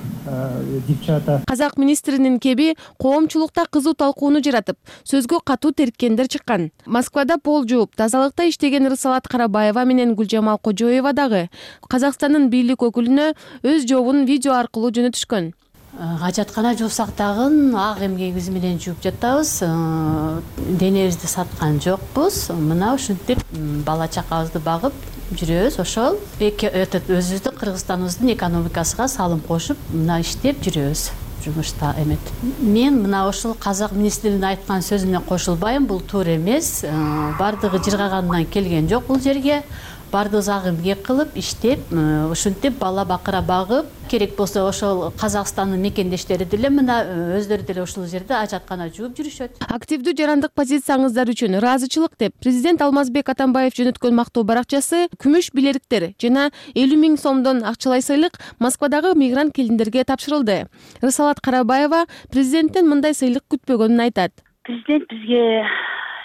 девчата. Казак министринин кеби коомчулукта кызуу талкууну жаратып, сөзгө катуу терткендер чыккан. Москвада пол жууп, тазалыкта иштеген Рысалат Карабаева менен Гүлжамал Кожоева дагы Казакстандын бийлик өкүлүнө өз жообун видео аркылуу жөнөтүшкөн. Ажаткана жуусак дагы ак эмгегибиз менен жууп жатабыз. Денебизди саткан жокпуз. Мына ушинтип бала чакабызды багып жүрөбүз. Ошол өзүбүздүн Кыргызстаныбыздын экономикасына салым кошуп, мына иштеп жүрөбүз. Жумушта эмет. Мен мына ошол казак министринин айткан сөзүнө кошулбайм. Бул туура эмес. Бардыгы жыргагандан келген жок бул жерге. Бардыгы ак эмгек кылып, иштеп, ушинтип бала бакыра багып, керек болсо ошол Казакстандын мекендештери деле мына өздөрү деле ушул жерде ажаткана жууп жүрүшөт. Активдүү жарандык позицияныздар үчүн ыраазычылык деп президент Алмазбек Атамбаев жөнөткөн мактоо баракчасы күмүш билериктер жана 50 000 сомдон акчалай сыйлык Москвадагы мигрант келиндерге тапшырылды. Рысалат Карабаева президенттен мындай сыйлык күтпөгөнүн айтат. Президент бизге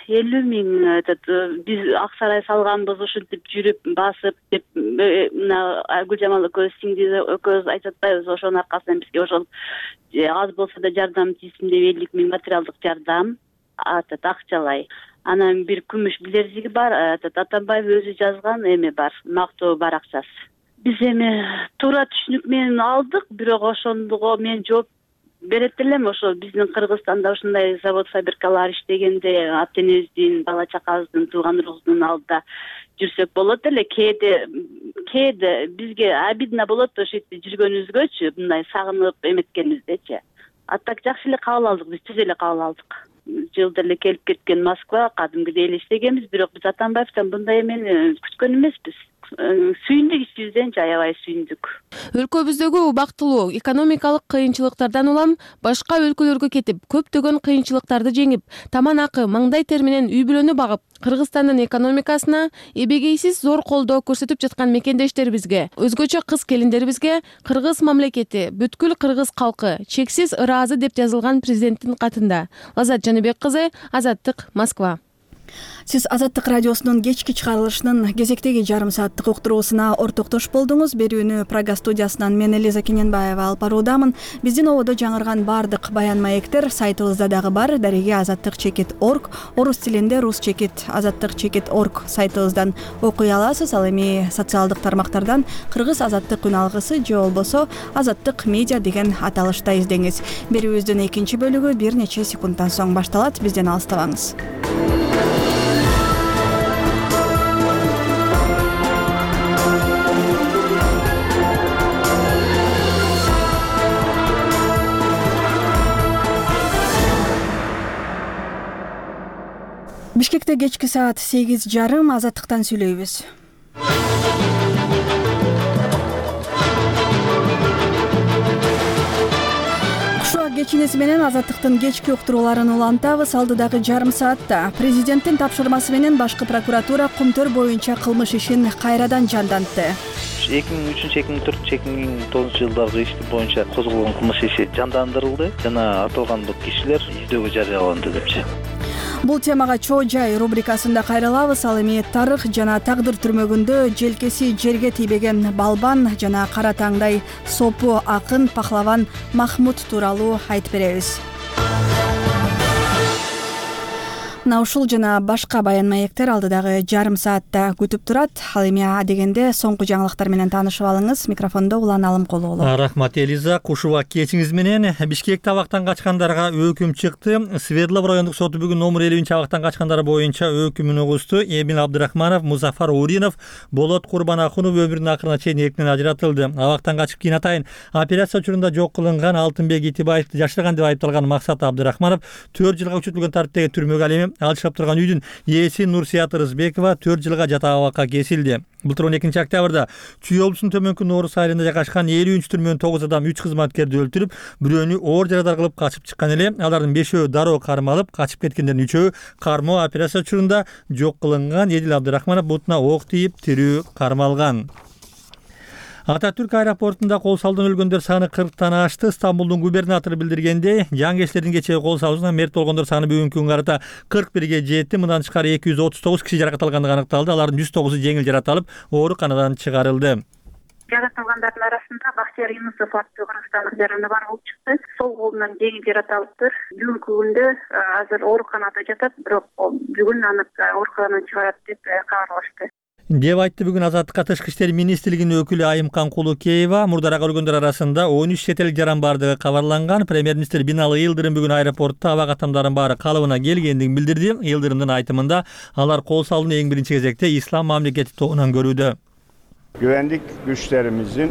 50 000 биз ак сарай салганбыз, ушинтип жүрүп басып деп мына Гүлжамал экөөбүз айтып атпайбыз. Ошонун аркасынан бизге ошол аз болсо да жардам тийсин деп 50 000 материалдык жардам акчалай. Анан бир күмүш билезиги бар, Атамбаев өзү жазган эме бар, мактоо баракчасы. Биз эми туура түшүнүк менен алдык, бирок ошондого мен жооп берет элем. Ошо биздин Кыргызстанда ушундай завод фабрикалар иштегенде ата энебиздин, бала чакабыздын, тууган урубуздун алдында жүрсөк болот эле. Кээде бизге обидно болот ошо жерде жүргөнүбүзгөчү, мындай сагынып эметкениздечи. А так жакшы эле кабыл алдык, биз түз эле кабыл алдык. Жылда эле келип кеткен Москва, кадимгидей эле иштегенбиз, бирок биз Атамбаевден мындай эмени күткөн эмеспиз. Сүйүндүк, ичибизден аябай сүйүндүк. Өлкөбүздөгү убактылуу экономикалык кыйынчылыктардан улам башка өлкөлөргө кетип, көптөгөн кыйынчылыктарды жеңип, таман акы, маңдай тер менен үй бүлөнү багып, Кыргызстандын экономикасына эбегейсиз зор колдоо көрсөтүп жаткан мекендештерибизге, өзгөчө кыз келиндерибизге кыргыз мамлекети, бүткүл кыргыз калкы чексиз ыраазы деп жазылган президенттин катында. Лазат Жаныбек кызы, Азаттык, Москва. Сиз Азаттык радиосунун кечки чыгарылышынын кезектеги жарым сааттык уктуруусуна ортоктош болдуңуз. Берүүнү Прага студиясынан мен Элиза Кененбаева алып баруудамын. Биздин ободо жаңырган бардык баян маектер сайтыбызда дагы бар. Дареги azattik.org, орус тилинде rus.azattik.org сайтыбыздан окуй аласыз. Ал эми социалдык тармактардан кыргыз азаттык күн алгысы же болбосо азаттык медиа деген аталышта издеңиз. Берүүбүздүн экинчи бөлүгү бир нече секундтан соң башталат. Бизден алыстабаңыз. Бишкекте кечки саат 8:30 азаттыктан сүйлөйбүз. Кушуа кечинеси менен азаттыктын кечки уктурууларын улантабыз. Алдыдагы жарым саатта президенттин тапшырмасы менен башкы прокуратура Кумтөр боюнча кылмыш ишин кайрадан жандантты. 2003-2004-2009 жылдагы ишти боюнча козголгон кылмыш иши жандандырылды жана аталган кишилер издөөгө жарыяланды депчи. Бул темага чоо жай рубрикасында кайрылабыз. Ал эми тарых жана тагдыр түрмөгүндө желкеси жерге тийбеген балбан жана кара таңдай сопу акын пахлаван Махмуд тууралуу айтып беребиз. Мына ушул жана башка баян маектер алдыдагы жарым саатта күтүп турат. Ал эми адегенде соңку жаңылыктар менен таанышып алыңыз. Микрофондо Улан Алымкулуу. Рахмат Элиза. Кушуба кечиңиз менен. Бишкекте абактан качкандарга өкүм чыкты. Свердлов райондук соту бүгүн номер 50 абактан качкандар боюнча өкүмүн угусту. Эмин Абдырахманов, Музафар Уринов, Болот Курбанахунов өмүрүнүн акырына чейин эркинен ажыратылды. Абактан качып кийин атайын операция учурунда жок кылынган Алтынбек Итибаевди жашырган деп айыпталган Максат Абдырахманов 4 жылга күчөтүлгөн тартиптеги түрмөгө ал эми ал жашап турган үйдүн ээси Нурсият Рызбекова 4 жылга жата абакка кесилди. Былтыр 12 октябрда Чүй облусунун төмөнкү Норус айылында жайгашкан 53 түрмөнүн 9 адам 3 кызматкерди өлтүрүп, бирөөнү оор жарадар кылып качып чыккан эле. Алардын 5өө дароо кармалып, качып кеткендердин 3өө кармоо операция учурунда жок кылынган. Эдил Абдырахманов бутуна ок тийип, тирүү кармалган. Ататүрк аэропортунда кол салуудан өлгөндөр саны 40тан ашты. Стамбулдун губернатору билдиргендей, жаңгечлердин кечээ кол салуусунан мерт болгондор саны бүгүнкү күнгө карата 41ге жетти. Мындан тышкары 239 киши жаракат алгандыгы аныкталды. Алардын 109-у жеңил жаракат алып, ооруканадан чыгарылды. Жаракат алгандардын арасында Бахтияр Юнусов аттуу кыргызстандык жараны бар болуп чыкты. Сол колунан жеңил жаракат алыптыр. Бүгүнкү күндө азыр ооруканада жатат, бирок бүгүн аны ооруканадан чыгарат деп кабарлашты. Деп айтты бүгүн Азаттыкка Тышкы иштер министрлигинин өкүлү Айымкан Кулукеева. Мурдараак өлгөндөр арасында 13 чет элдик жаран бардыгы кабарланган. Премьер-министр Бинали Йылдырым бүгүн аэропортто абак атамдардын баары калыбына келгендигин билдирди. Йылдырымдын айтымында алар кол салууну эң биринчи кезекте ислам мамлекети тобунан көрүүдө. Güvenlik güçlerimizin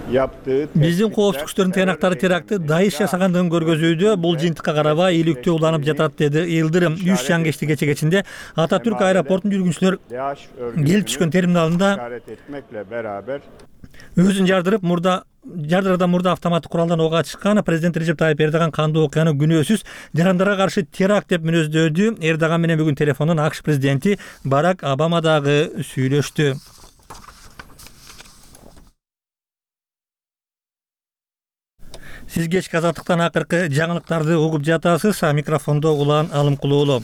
Биздин коопсуздук күчтөрүнүн тыянактары теракты Даиш жасагандыгын көргөзүүдө. Бул жыйынтыкка карабай иликтөө уланып жатат, деди Йылдырым. 3 жаңгешти кече-кечинде Ататүрк аэропортунун жүргүнчүлөр келип түшкөн терминалында өзүн жардыруудан мурда автоматтык куралдан ок ачышкан. Президент Режеп Тайып Эрдоган кандуу окуяны күнөөсүз жарандарга каршы теракт деп мүнөздөдү. Эрдоган менен бүгүн телефондон АКШ президенти Барак Обама дагы сүйлөштү. Сиз кечки Азаттыктан акыркы жаңылыктарды угуп жатасыз. Микрофондо Улан Алымкулуу.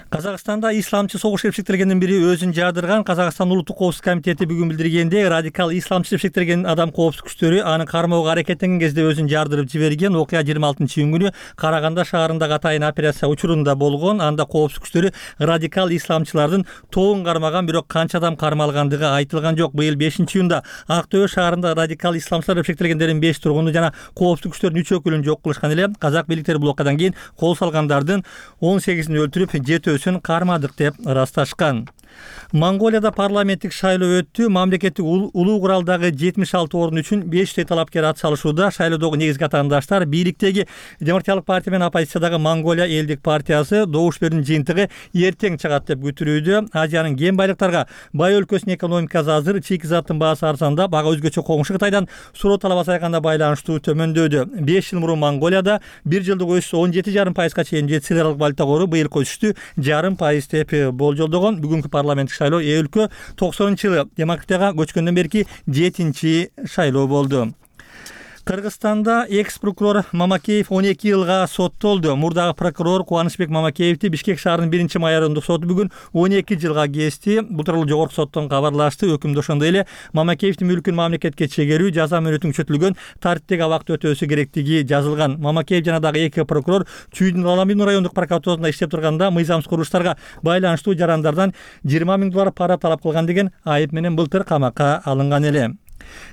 Казакстанда исламчы согуш эпсектергендин бири өзүн жардырган. Казакстан улуттук коопсуздук комитети бүгүн билдиргендей, радикал исламчы эпсектерген адам коопсуздук күчтөрү аны кармоого аракеттенген кезде өзүн жардырып жиберген. Окуя 26-июнь күнү Караганда шаарындагы атайын операция учурунда болгон. Анда коопсуздук күчтөрү радикал исламчылардын тобун кармаган, бирок канча адам кармалгандыгы айтылган жок. Быйыл 5-июнда Ак Төбө шаарында радикал исламчылар эпсектергендердин 5 тургуну жана коопсуздук күчтөрүнүн 3 өкүлүн жок кылышкан эле. Казак бийликтери бул окуядан кийин кол салгандардын 18-ин өлтүрүп, 7-өсүн кармадык деп ырасташкан. Монголияда парламенттик шайлоо өттү. Мамлекеттик улуу куралдагы 76 орун үчүн 500 талапкер ат салышууда. Шайлоодогу негизги атаандаштар бийликтеги Демократиялык партия менен оппозициядагы Монголия элдик партиясы. Добуш берүүнүн жыйынтыгы эртең чыгат деп күтүлүүдө. Азиянын кен байлыктарга бай өлкөсүнүн экономикасы азыр, чийки-заттын баасы арзандап, ага өзгөчө коңшу Кытайдан суроо талап азайганда байланыштуу төмөндөдү. 5 жыл мурун Монголияда 1 жылдык өсүш 17,5%га чейин жетти. Сыралык валюта кору быйылкы өсүштү 0,5% деп болжолдогон. Бүгүнкү парламенттик шайлоо өлкө 90-жылы демократияга көчкөндөн берки 7-шайлоо болду. Кыргызстанда экс прокурор Мамакеев 12 жылга соттолду. Мурдагы прокурор Кубанычбек Мамакеевди Бишкек шаарынын 1 райондук соту бүгүн 12 жылга кести. Бул тууралуу жогорку соттон кабарлашты. Өкүмдө ошондой эле Мамакеевдин мүлкүн мамлекетке чегерүү, жаза мөөнөтүнүн күчөтүлгөн тартиптеги абакта өтөөсү керектиги жазылган. Мамакеев жана дагы эки прокурор Чүйдүн Аламин райондук прокуратурасында иштеп турганда мыйзамсыз курулуштарга байланыштуу жарандардан 20 000 доллар пара талап кылган деген айып менен былтыр камакка алынган эле.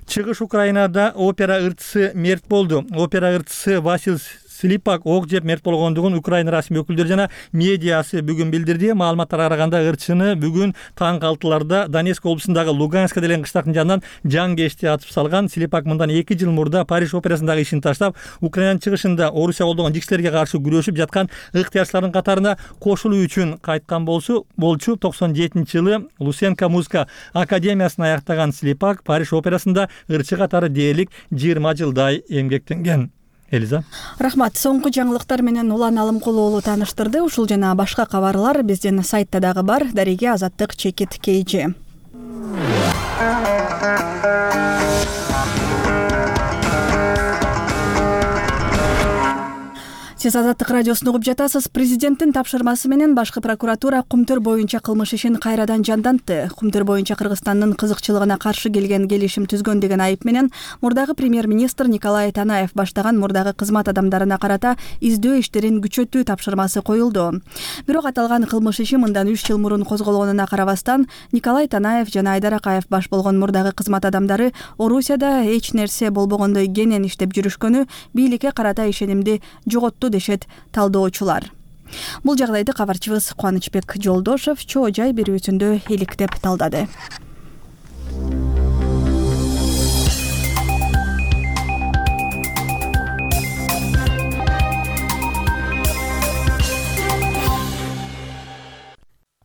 Чыгыш Украинада опера ырчысы мерт болду. Опера ырчысы Васил Слипак ок жеп мерт болгондугун Украина расмий өкүлдөрү жана медиасы бүгүн билдирди. Маалыматтарга караганда ырчыны бүгүн таң 6-ларда Донецк облусундагы Луганска деген кыштактын жанынан жан кешти атып салган. Слипак мындан 2 жыл мурда Париж операсындагы ишин таштап, Украинанын чыгышында Орусия колдогон жиксилерге каршы күрөшүп жаткан ыктыярчылардын катарына кошулуу үчүн кайткан болчу. 97-жылы Лусенко музыка академиясын аяктаган Слипак Париж операсында ырчы катары дээрлик 20 жылдай эмгектенген. Элиза. Рахмат. Соңку жаңылыктар менен Улан Алымкулуу тааныштырды. Ушул жана башка кабарлар биздин сайтта дагы бар. Дареге Азаттык Чекит KG. Сиз Азаттык радиосун угуп жатасыз. Президенттин тапшырмасы менен башкы прокуратура Кумтөр боюнча кылмыш ишин кайрадан жандантты. Кумтөр боюнча Кыргызстандын кызыкчылыгына каршы келген келишим түзгөн деген айып менен мурдагы премьер-министр Николай Танаев баштаган мурдагы кызмат адамдарына карата издөө иштерин күчөтүү тапшырмасы коюлду. Бирок аталган кылмыш иши мындан 3 жыл мурун козголгонуна карабастан Николай Танаев жана Айдар Акаев баш болгон мурдагы кызмат адамдары Орусияда эч нерсе болбогондой кенен иштеп жүрүшкөнү бийликке карата ишенимди жоготту дешет талдоочулар. Бул жагдайды кабарчыбыз Кубанычбек Жолдошев чоо жай берүүсүндө иликтеп талдады.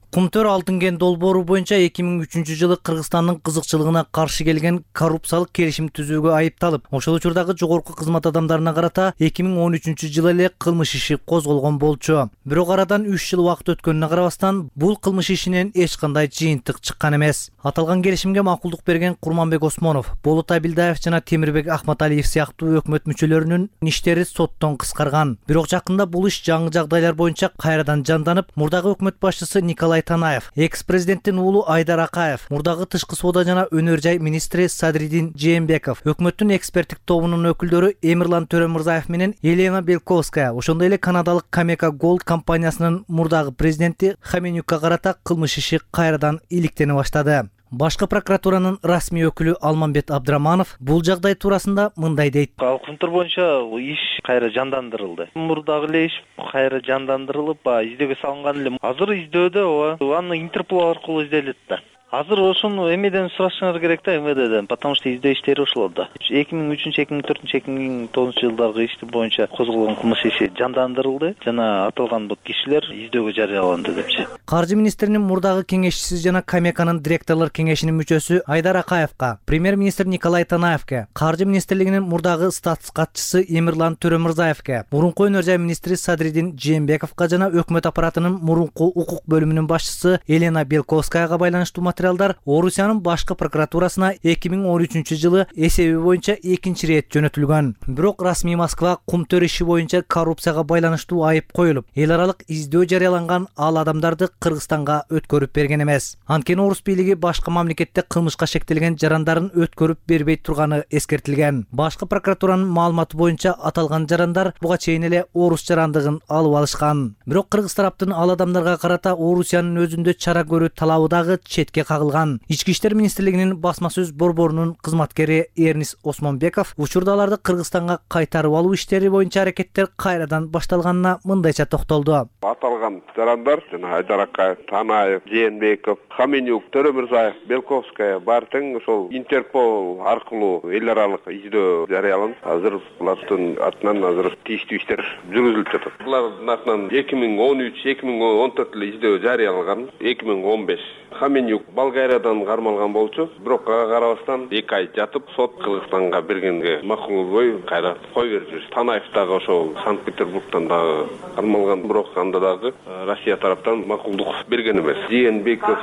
Кумтөр алтын кен долбоору боюнча 2003-жылы Кыргызстандын кызыкчылыгына каршы келген коррупциялык келишим түзүүгө айыпталып, ошол учурдагы жогорку кызмат адамдарына карата 2013-жылы эле кылмыш иши козголгон болчу. Бирок арадан 3 жыл убакыт өткөнүнө карабастан бул кылмыш ишинен эч кандай жыйынтык чыккан эмес. Аталган келишимге макулдук берген Курманбек Осмонов, Болот Абилдаев жана Темирбек Ахматалиев сыяктуу өкмөт мүчөлөрүнүн иштери соттон кыскарган. Бирок жакында бул иш жаңы жагдайлар боюнча кайрадан жанданып, мурдагы өкмөт башчысы Николай Танаев, экс-президенттин уулу Айдар Акаев, мурдагы тышкы соода жана өнөр жай министри Садриддин Жээнбеков, өкмөттүн эксперттик тобунун өкүлдөрү Эмирлан Төрөмурзаев менен Елена Белковская, ошондой эле канадалык Камека Голд компаниясынын мурдагы президенти Хаменюкка карата кылмыш иши кайрадан иликтене баштады. Башкы прокуратуранын расмий өкүлү Алмамбет Абдраманов бул жагдай туурасында мындай дейт. Кумтөр боюнча иш кайра жандандырылды. Мурдагы эле иш кайра жандандырылып, издөөгө салынган эле. Азыр издөөдө аны Интерпол аркылуу изделет да. Азыр ошону эмеден сурашыңар керек да, МВДден, потому что издөө иштери ошол да. 2003-2004-2009 жылдагы ишти боюнча козголгон кылмыш иши жандандырылды жана аталган бул кишилер издөөгө жарыяланды депчи. Каржы министринин мурдагы кеңешчиси жана Камеканын директорлор кеңешинин мүчөсү Айдар Акаевка, премьер-министр Николай Танаевке, Каржы министрлигинин мурдагы статс катчысы Эмирлан Төрөмурзаевке, мурунку өнөр жай министри Садриддин Жээнбековго жана өкмөт аппаратынын мурунку укук бөлүмүнүн башчысы Елена Белковскаяга байланыштуу материалдар Орусиянын башкы прокуратурасына 2013-жылы эсеби боюнча экинчи ирет жөнөтүлгөн. Бирок расмий Москва Кумтөр иши боюнча коррупцияга байланыштуу айып коюлуп, эл аралык издөө жарыяланган ал адамдарды Кыргызстанга өткөрүп берген эмес. Анткени Орус бийлиги башка мамлекетте кылмышка шектелген жарандарын өткөрүп бербей турганы эскертилген. Башкы прокуратуранын маалыматы боюнча аталган жарандар буга чейин эле орус жарандыгын алып алышкан. Бирок кыргыз тараптын ал адамдарга карата Орусиянын өзүндө чара көрүү талабы дагы четке кагылган. Ички иштер министрлигинин басма сөз борборунун кызматкери Эрнис Осмонбеков учурда аларды Кыргызстанга кайтарып алуу иштери боюнча аракеттер кайрадан башталганына мындайча токтолду. Аталган жарандар жана Айдар Акаев, Танаев, Жээнбеков, Хаменюк, Төрөмурзаев, Белковская бар тең ошол Интерпол аркылуу эл аралык издөө жарыяланып, азыр булардын атынан азыр тийиштүү иштер жүргүзүлүп жатат. Булардын атынан 2013-2014 эле издөө жарыяланган, 2015 Хаменюк Болгариядан кармалган болчу, бирок ага карабастан 2 ай жатып, сот Кыргызстанга бергенге макулдобой кайра кой берип жүрүш. Танаев дагы ошол Санкт-Петербургтан дагы кармалган, бирок анда дагы Россия тараптан макулдук берген эмес. Жээнбеков,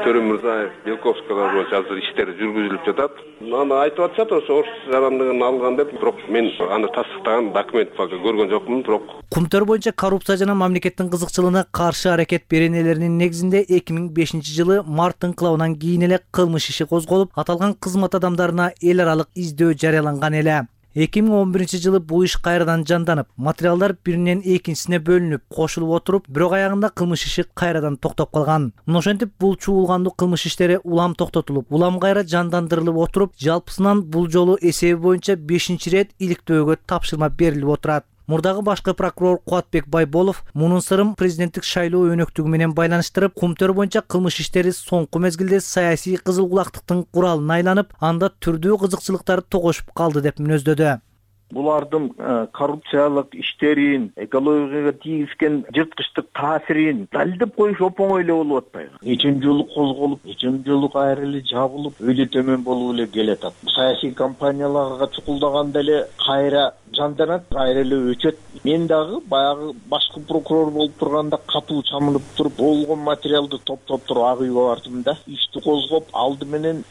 Төрөмүрзаев, Белковскайлар боюнча азыр иштер жүргүзүлүп жатат. Аны айтып атышат, ошо орус жарандыгын алган деп, бирок мен аны тастыктаган документ пока көргөн жокмун, бирок Кумтөр боюнча коррупция жана мамлекеттин кызыкчылыгына каршы аракет беренелеринин негизинде 2005 жылы март инкылабынан кийин эле кылмыш иши козголуп, аталган кызмат адамдарына эл аралык издөө жарыяланган эле. 2011 жылы бул иш кайрадан жанданып, материалдар биринен экинчисине бөлүнүп, кошулуп отуруп, бирок аягында кылмыш иши кайрадан токтоп калган. Ошентип бул чуулгандуу кылмыш иштери улам токтотулуп, улам кайра жандандырылып отуруп, жалпысынан бул жолу эсеби боюнча 5-чи рет иликтөөгө тапшырма берилип отурат. Мурдагы башкы прокурор Кубатбек Байболов мунун сырын президенттик шайлоо өнөктүгү менен байланыштырып, Кумтөр боюнча кылмыш иштери соңку мезгилде саясий кызыл кулактыктын куралына айланып, анда түрдүү кызыкчылыктар тогошуп калды деп мүнөздөдү. Булардын коррупциялык иштерин, экологияга тийгизген жырткычтык таасирин далилдеп коюш оңой эле болуп атпайбы. Нечен жолу козголуп, нечен жолу кайра эле жабылып, өйдө төмөн болуп эле келатат. Саясий кампанияларга чукулдаганда эле кайра жанданат, кайра эле өчөт. Мен дагы баягы башкы прокурор болуп турганда катуу чамынып туруп, болгон материалды топтоп туруп ак үйгө бардым да, ишти козгоп, алды менен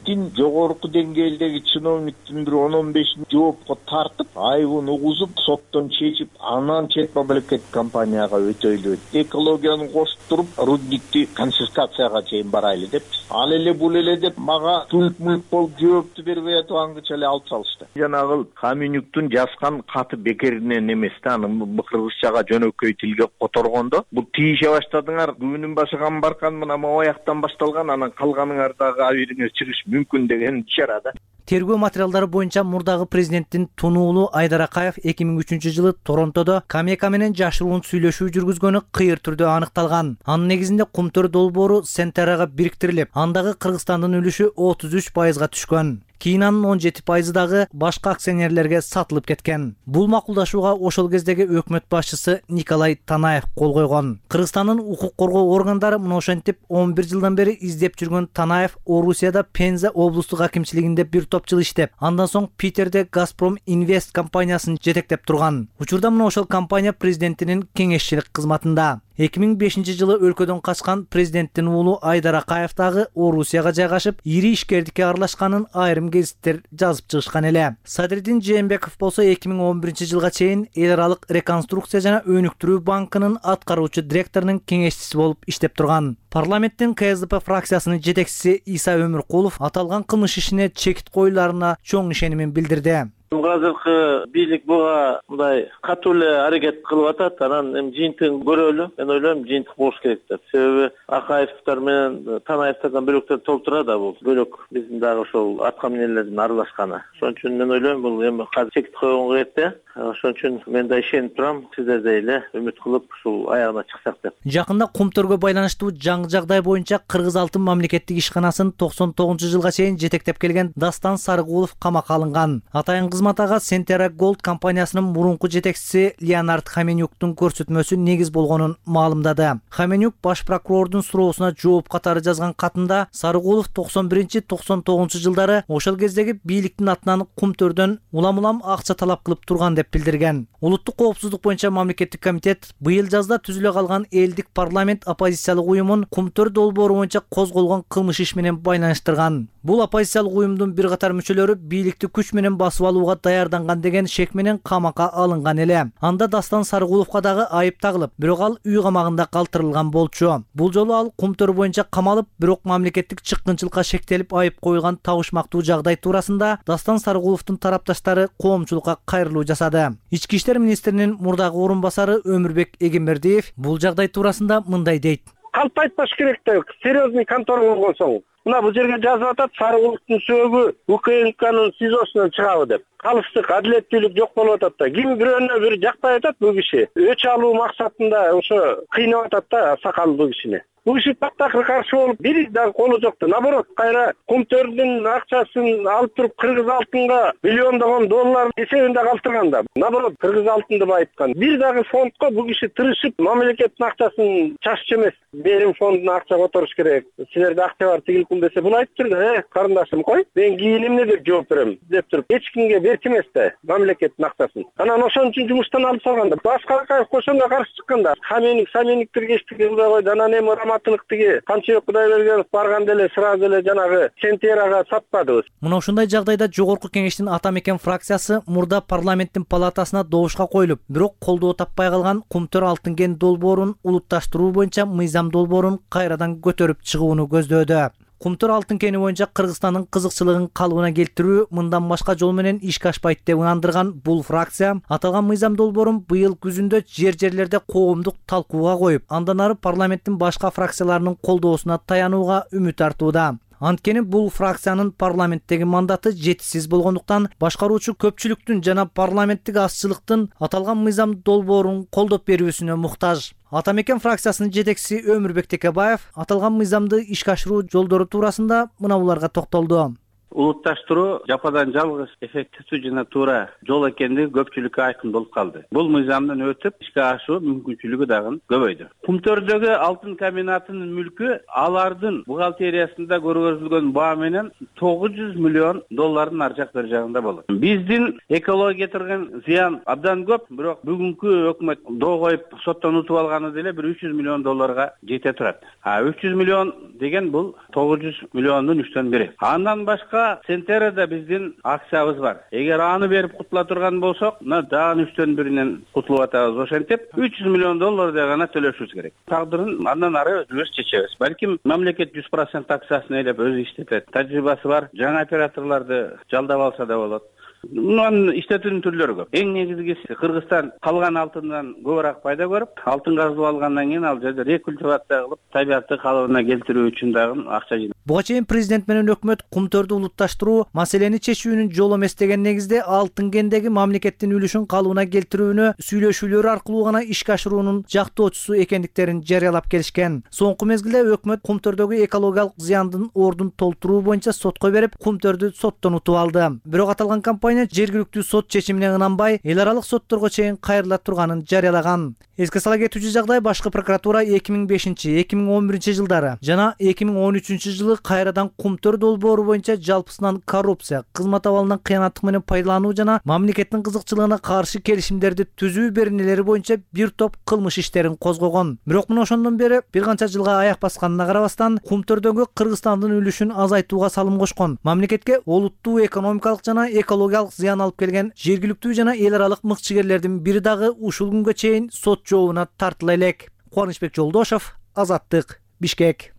жогорку деңгээлдеги чиновниктин бир 10-15 жоопко тартып, айыбын угузуп, соттон чечип, анан чет мамлекет компанияга өтөйлү. Экологияны кошуп туруп, рудникти конфискацияга чейин барайлы деп, ал эле бул эле деп мага түлк-мүлк болуп жоопту бербей атып аңгыча эле алып салышты. Жанагы Каменюктун жазган каты бекеринен эмес да, аны кыргызчага жөнөкөй тилге которгондо, бул тийише баштадыңар, күнүн башыган баркан мына мояктан башталган, анан калганыңар дагы абийириңер чыгыш мүмкүн деген ишара да. Тергөө материалдары боюнча мурдагы президенттин тунуулу Айдар Акаев 2003 жылы Торонтодо Камека менен жашыруун сүйлөшүү жүргүзгөнү кыйыр түрдө аныкталган. Анын негизинде Кумтөр долбоору Сентерага бириктирилип, андагы Кыргызстандын үлүшү 33%га түшкөн. Кийин анын 17% дагы башка акционерлерге сатылып кеткен. Бул макулдашууга ошол кездеги өкмөт башчысы Николай Танаев кол койгон. Кыргызстандын укук коргоо органдары мына ошентип 11 жылдан бери издеп жүргөн Танаев Орусияда Пенза облустук акимчилигинде бир топ жыл иштеп, андан соң Питерде Газпром Инвест компаниясын жетектеп турган. Учурда мына ошол компания президентинин кеңешчилик кызматында. 2005 жылы өлкөдөн качкан президенттин уулу Айдар Акаев дагы Орусияга жайгашып, ири ишкердикке аралашканын айрым гезиттер жазып чыгышкан эле. Садриддин Жээнбеков болсо 2011 жылга чейин эл аралык реконструкция жана өнүктүрүү банкынын аткаруучу директорунун кеңешчиси болуп иштеп турган. Парламенттин КСДП фракциясынын жетекчиси Иса Өмүркулов аталган кылмыш ишине чекит коюларына чоң ишенимин билдирди. Азыркы бийлик буга мындай катуу эле аракет кылып атат, анан эми жыйынтыгын көрөлү. Мен ойлойм, жыйынтык болуш керек деп. Себеби Акаевтер менен Танаевтерден бөлөктөр толтура да бул. Бөлөк биздин дагы ошол атка минелердин аралашканы. Ошон үчүн мен ойлойм, бул эми казыр чекит койгон керекте. Ошон үчүн мен да ишенип турам, сиздердей эле үмүт кылып ушул аягына чыксак деп. Жакында Кумтөргө байланыштуу жаңы жагдай боюнча Кыргыз Алтын мамлекеттик ишканасын 99 жылга чейин жетектеп келген Дастан Сарыгулов камакка алынган. Атайын кызматага Сентера Голд компаниясынын мурунку жетекчиси Леонард Хаменюктун көрсөтмөсү негиз болгонун маалымдады. Хаменюк баш прокурордун суроосуна жооп катары жазган катында Сарыгулов 91-99 жылдары ошол кездеги бийликтин атынан Кумтөрдөн улам акча талап кылып турган деп билдирген. Улуттук коопсуздук боюнча мамлекеттик комитет быйыл жазда түзүлө калган элдик парламент оппозициялык уюмун Кумтөр долбоору боюнча козголгон кылмыш иш менен байланыштырган. Бул оппозициялык уюмдун бир катар мүчөлөрү бийликти күч менен басып алууга даярданган деген шек менен камакка алынган эле. Анда Дастан Сарыгуловго дагы айып тагылып, бирок ал үй камагында калтырылган болчу. Бул жолу ал Кумтөр боюнча камалып, бирок мамлекеттик чыккынчылыкка шектелип айып коюлган табышмактуу жагдай туурасында Дастан Сарыгуловдун тарапташтары коомчулукка кайрылуу жасады. Ички иштер министринин мурдагы орун басары Өмүрбек Эгембердиев бул жагдай туурасында мындай дейт. Калп айтпаш керек да, серьезный контора болгон соң. Мына бул жерге жазып атат, Сарыгуловдун сөөгү УКМКнын СИЗОсунан чыгабы деп. Калыстык, адилеттүүлүк жок болуп атат да. Ким бирөөнө бир жакпай атат бул киши. Өч алуу максатында ошо кыйнап атат да сакал бул кишини. Бул киши тактакыр каршы болуп, бир дагы колу жокту. Наоборот, кайра Кумтөрдүн акчасын алып туруп кыргыз алтынга миллиондогон доллар эсебинде калтырган да. Наоборот, кыргыз алтынды байыткан. Бир дагы фондко бул киши тырышып мамлекеттин акчасын чаччу эмес. Берим фондуна акча которуш керек. Силерде акча бар тигилким десе, бул айтып турду, карындашым кой, мен кийин эмне деп жооп берем деп туруп, эч кимге берчү эмес да мамлекеттин акчасын. Анан ошон үчүн жумуштан алып салган да. Башка ошонго каршы чыккан да. Самениктер кечтиги кылбай койду. Анан эми Раматылык тиги Камчыбек Кудайбергенов барган деле сразу эле жанагы Сентерага сатпадыбыз. Мына ушундай жагдайда жогорку кеңештин Ата Мекен фракциясы мурда парламенттин палатасына добушка коюлуп, бирок колдоо таппай калган Кумтөр алтын кен долбоорун улутташтыруу боюнча мыйзам долбоорун кайрадан көтөрүп чыгууну көздөөдө. Кумтөр алтын кени боюнча Кыргызстандын кызыкчылыгын калыбына келтирүү мындан башка жол менен ишке ашпайт деп ынандырган бул фракция аталган мыйзам долбоорун быйыл күзүндө жерлерде коомдук талкууга коюп, андан ары парламенттин башка фракцияларынын колдоосуна таянууга үмүт артууда. Анткени бул фракциянын парламенттеги мандаты жетишсиз болгондуктан башкаруучу көпчүлүктүн жана парламенттик азчылыктын аталган мыйзам долбоорун колдоп берүүсүнө муктаж. Ата Мекен фракциясынын жетекчиси Өмүрбек Текебаев аталган мыйзамды ишке ашыруу жолдору туурасында мына буларга токтолду. Улутташтыруу жападан жалгыз эффективдүү жана туура жол экендиги көпчүлүккө айкын болуп калды. Бул мыйзамдын өтүп ишке ашуу мүмкүнчүлүгү дагы көбөйдү. Кумтөрдөгү алтын комбинатынын мүлкү алардын бухгалтериясында көргөзүлгөн баа менен 900 миллион доллардын ар жак бер жагында болот. Биздин экологияга келтирген зыян абдан көп, бирок бүгүнкү өкмөт доо коюп соттон утуп алганы деле бир 300 миллион долларга жете турат. 300 миллион деген бул 900 миллиондун 3төн бири. Андан башка Сентерада биздин акциябыз бар. Эгер аны берип кутула турган болсок, мына дагы 3төн биринен кутулуп атабыз. Ошентип 300 миллион доллардай гана төлөшүбүз керек. Тагдырын андан ары өзүбүз чечебиз. Балким мамлекет 100% акциясын ээлеп өзү иштетет. Тажрыйбасы бар, жаңы операторлорду жалдап алса да болот. Мунун иштетүүнүн түрлөрү көп. Эң негизгиси Кыргызстан калган алтындан көбүрөөк пайда көрүп, алтын казылып алгандан кийин ал жерде рекультивация кылып, табиатты калыбына келтирүү үчүн дагы акча жыйнайт. Буга чейин президент менен өкмөт Кумтөрдү улутташтыруу маселени чечүүнүн жолу эмес деген негизде алтын кендеги мамлекеттин үлүшүн калыбына келтирүүнү сүйлөшүүлөр аркылуу гана ишке ашыруунун жактоочусу экендиктерин жарыялап келишкен. Соңку мезгилде өкмөт Кумтөрдөгү экологиялык зыяндын ордун толтуруу боюнча сотко берип, Кумтөрдү соттон утуп алды. Бирок аталган компания жергиликтүү сот чечимине ынанбай, эл аралык сотторго чейин кайрыла турганын жарыялаган. Эске сала кетүүчү жагдай башкы прокуратура 2005-2011 жылдары жана 2013 жылы кайрадан Кумтөр долбоору боюнча жалпысынан коррупция, кызмат абалынан кыянаттык менен пайдалануу жана мамлекеттин кызыкчылыгына каршы келишимдерди түзүү беренелери боюнча бир топ кылмыш иштерин козгогон. Бирок мына ошондон бери бир канча жылга аяк басканына карабастан Кумтөрдөгү Кыргызстандын үлүшүн азайтууга салым кошкон, мамлекетке олуттуу экономикалык жана экологиялык зыян алып келген жергиликтүү жана эл аралык мыкчыгерлердин бири дагы ушул күнгө чейин сот жообуна тартыла элек. Кубанычбек Жолдошов, Азаттык, Бишкек.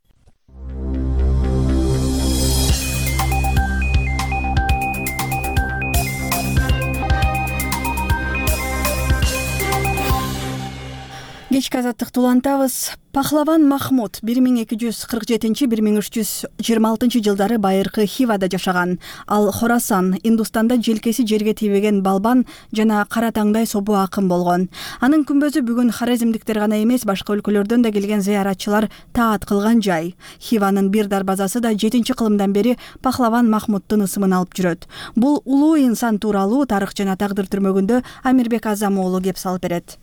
Кечки азаттыкты улантабыз. Пахлаван Махмуд 1247-1326 жылдары байыркы Хивада жашаган. Ал Хорасан, Индустанда желкеси жерге тийбеген балбан жана кара таңдай собу акын болгон. Анын күмбөзү бүгүн хорезмдиктер гана эмес, башка өлкөлөрдөн да келген зыяратчылар таат кылган жай. Хиванын бир дарбазасы да 7-кылымдан бери Пахлаван Махмуддун ысымын алып жүрөт. Бул улуу инсан тууралуу тарых жана тагдыр түрмөгүндө Амирбек Азам уулу кеп салып берет.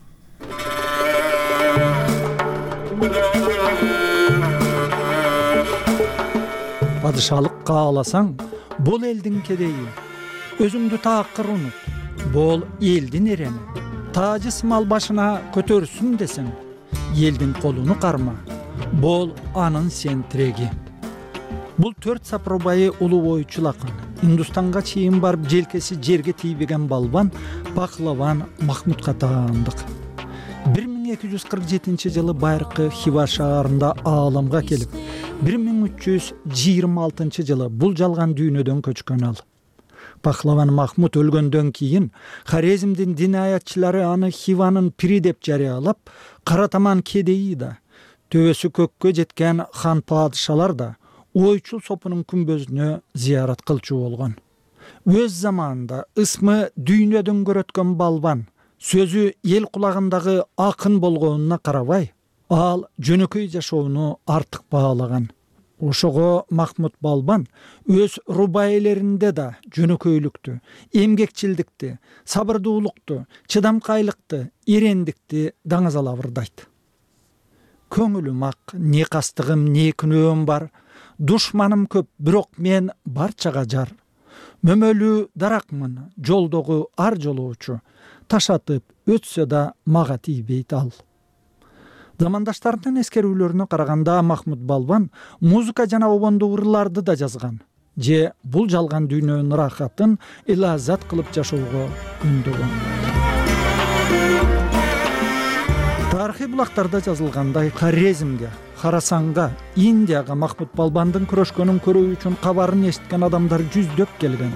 Падышалыкка кааласаң, бул элдин кедейи. Өзүңдү таакыр унут. Бул элдин эрени. Таажы мал башына көтөрсүн десең, элдин колуну карма. Бул анын сен тиреги. Бул 4 сапробайы улуу боючул акын. Индустанга чейин барып желкеси жерге тийбеген балбан Пахлаван Махмудка таандык. 1247 жылы байыркы Хива шаарында ааламга келип, 1326 жылы бул жалган дүйнөдөн көчкөн ал. Пахлаван Махмуд өлгөндөн кийин Хорезмдин динаятчылары аны Хиванын пири деп жарыялап, Каратаман кедейи да, төбөсү көккө жеткен хан падышалар да ойчул сопунун күмбөзүнө зыярат кылчу болгон. Өз заманында ысмы дүйнөдөн көрөткөн балбан, сөзү эл кулагындагы акын болгонуна карабай, Ал жөнөкөй жашоону артык баалаган. Ошого Махмут Балбан өз рубаилеринде да жөнөкөйлүктү, эмгекчилдикти, сабырдуулукту, чыдамкайлыкты, эрендикти даңазала ырдайт. Көңүлүм ак, не кастыгым, не күнөөм бар. Душманым көп, бирок мен барчага жар. Мөмөлүү даракмын, жолдогу ар жолоочу. Ташатып өтсө да мага тийбейт ал. Замандаштарынын эскерүүлөрүнө караганда Махмут Балбан музыка жана обондуу ырларды да жазган. Же бул жалган дүйнөнүн ырахатын илазат кылып жашоого үндөгөн. Тарыхый булактарда жазылгандай, Хорезмге, Харасанга, Индияга Махмут Балбандын күрөшкөнүн көрүү үчүн кабарын эшиткен адамдар жүздөп келген.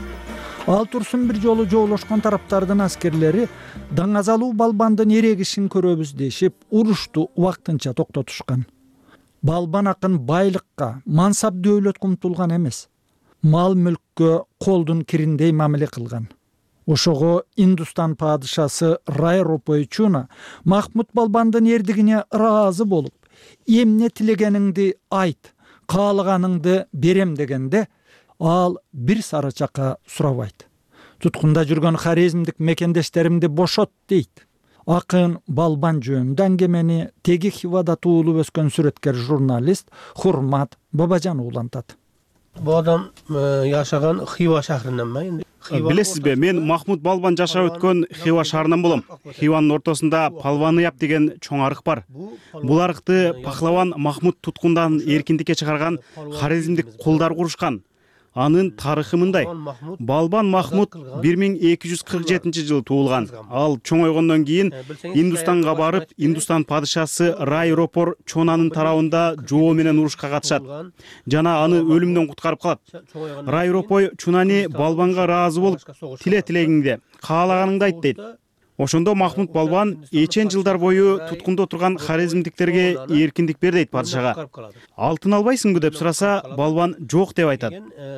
Ал турсун бир жолу жоолошкон тараптардын аскерлери даңазалуу Балбандын эрегишин көрөбүз дешип, урушту убактынча токтотушкан. Балбан акын байлыкка, мансап дөөлөткө умтулган эмес. Мал мүлккө колдун кириндей мамиле кылган. Ошого Индустан падышасы Рай Ропой Чуна Махмут Балбандын эрдигине ыраазы болуп, эмне тилегениңди айт, каалаганыңды берем дегенде, ал бир сарычакка сурабайт. Туткунда жүргөн хорезмдик мекендештеримди бошот дейт. Акын Балбан жөнүндө аңгемени теги Хивада туулуп өскөн сүрөткер журналист Хурмат Бабажан улантат. Бул адам жашаган Хива шаарынан ба? Билесизби, мен Махмут Балбан жашап өткөн Хива шаарынан болом. Хиванын ортосунда Палваныяп деген чоң арык бар. Бул арыкты пахлаван Махмут туткундан эркиндикке чыгарган хорезмдик кулдар курушкан. Анын тарыхы мындай. Балбан Махмут 1247 жылы туулган. Ал чоңойгондон кийин Индустанга барып, Индустан падышасы Рай Ропор Чонанын тарабында жоо менен урушка катышат. Жана аны өлүмдөн куткарып калат. Рай Ропой Чунани Балбанга ыраазы болуп, тилегиңди, каалаганыңды айт дейт. Ошондо Махмут Балбан эчен жылдар бою туткунда отурган хорезмдиктерге эркиндик бер дейт падышага. Алтын албайсыңбы деп сураса, Балбан жок деп айтат.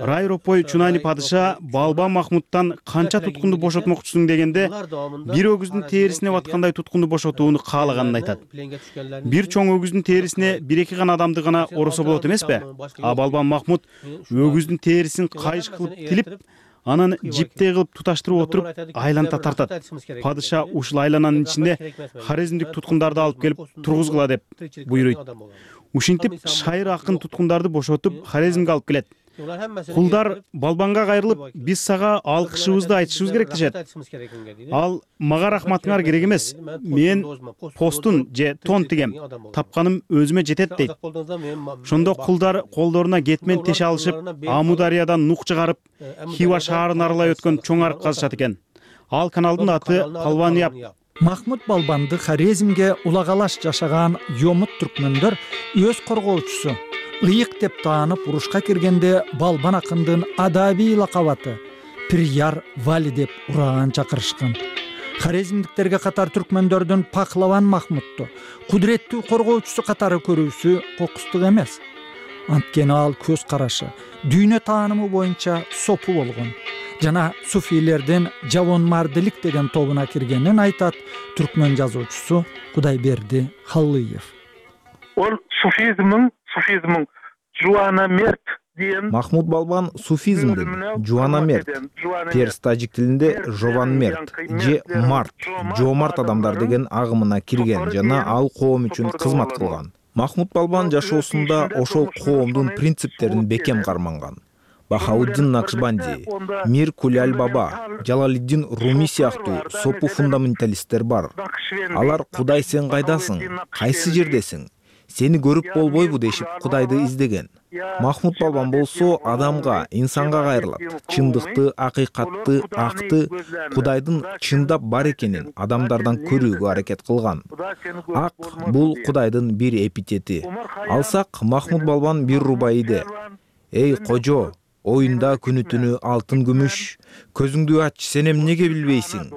Рай Ропой Чунани падыша Балбан Махмуттан канча туткунду бошотмокчусуң дегенде, бир өгүздүн терисине баткандай туткунду бошотууну каалаганын айтат. Бир чоң өгүздүн терисине 1-2 гана адамды гана оросо болот эмеспи? А Балбан Махмут өгүздүн терисин кайыш кылып тилип, анан жиптей кылып туташтырып отуруп айланта тартат. Падыша ушул айлананын ичинде хорезмдик туткундарды алып келип тургузгула деп буйруйт. Ушинтип шайыр акын туткундарды бошотуп хорезмге алып келет. Кулдар Балбанга кайрылып, биз сага алкышыбызды айтышыбыз керек дешет. Ал мага рахматыңар керек эмес. Мен постун же тон тигем. Тапканым өзүмө жетет дейт. Ошондо кулдар колдоруна кетмен теше алышып, Амудариядан нук чыгарып, Хива шаарын аралай өткөн чоң арык казышат экен. Ал каналдын аты Палваныяп. Махмут Балбанды хорезмге улагалаш жашаган Йомут түркмөндөр өз коргоочусу ыйык деп таанып урушка киргенде Балбан акындын адабий лакабаты Пиряр Вали деп ураан чакырышкан. Хорезмдиктерге катар түркмөндөрдүн Пахлаван Махмутту кудуреттүү коргоочусу катары көрүүсү кокустук эмес. Анткени ал көз карашы, дүйнө таанымы боюнча сопу болгон. Жана суфийлердин Жавонмардылык деген тобуна киргенин айтат түркмөн жазуучусу Кудайберди Халлыев. Ол суфизмин жуанамерт деген. Махмут Балбан суфизмдин жуанамерт, перс тажик тилинде жованмерт же март, жоомарт адамдар деген агымына кирген жана ал коом үчүн кызмат кылган. Махмут Балбан жашоосунда ошол коомдун принциптерин бекем карманган. Бахауддин Накшбанди, Мир Куляль Баба, Жалалиддин Руми сыяктуу сопу фундаменталисттер бар. Алар Кудай сен кайдасың, кайсы жердесиң, сени көрүп болбойбу дешип Кудайды издеген. Махмут Балбан болсо адамга, инсанга кайрылат. Чындыкты, акыйкатты, акты, Кудайдын чындап бар экенин адамдардан көрүүгө аракет кылган. Ак бул Кудайдын бир эпитети. Алсак Махмут Балбан бир рубайиде. Эй кожо, оюнда күнү-түнү алтын күмүш, көзүңдү ач, сен эмнеге билбейсиң?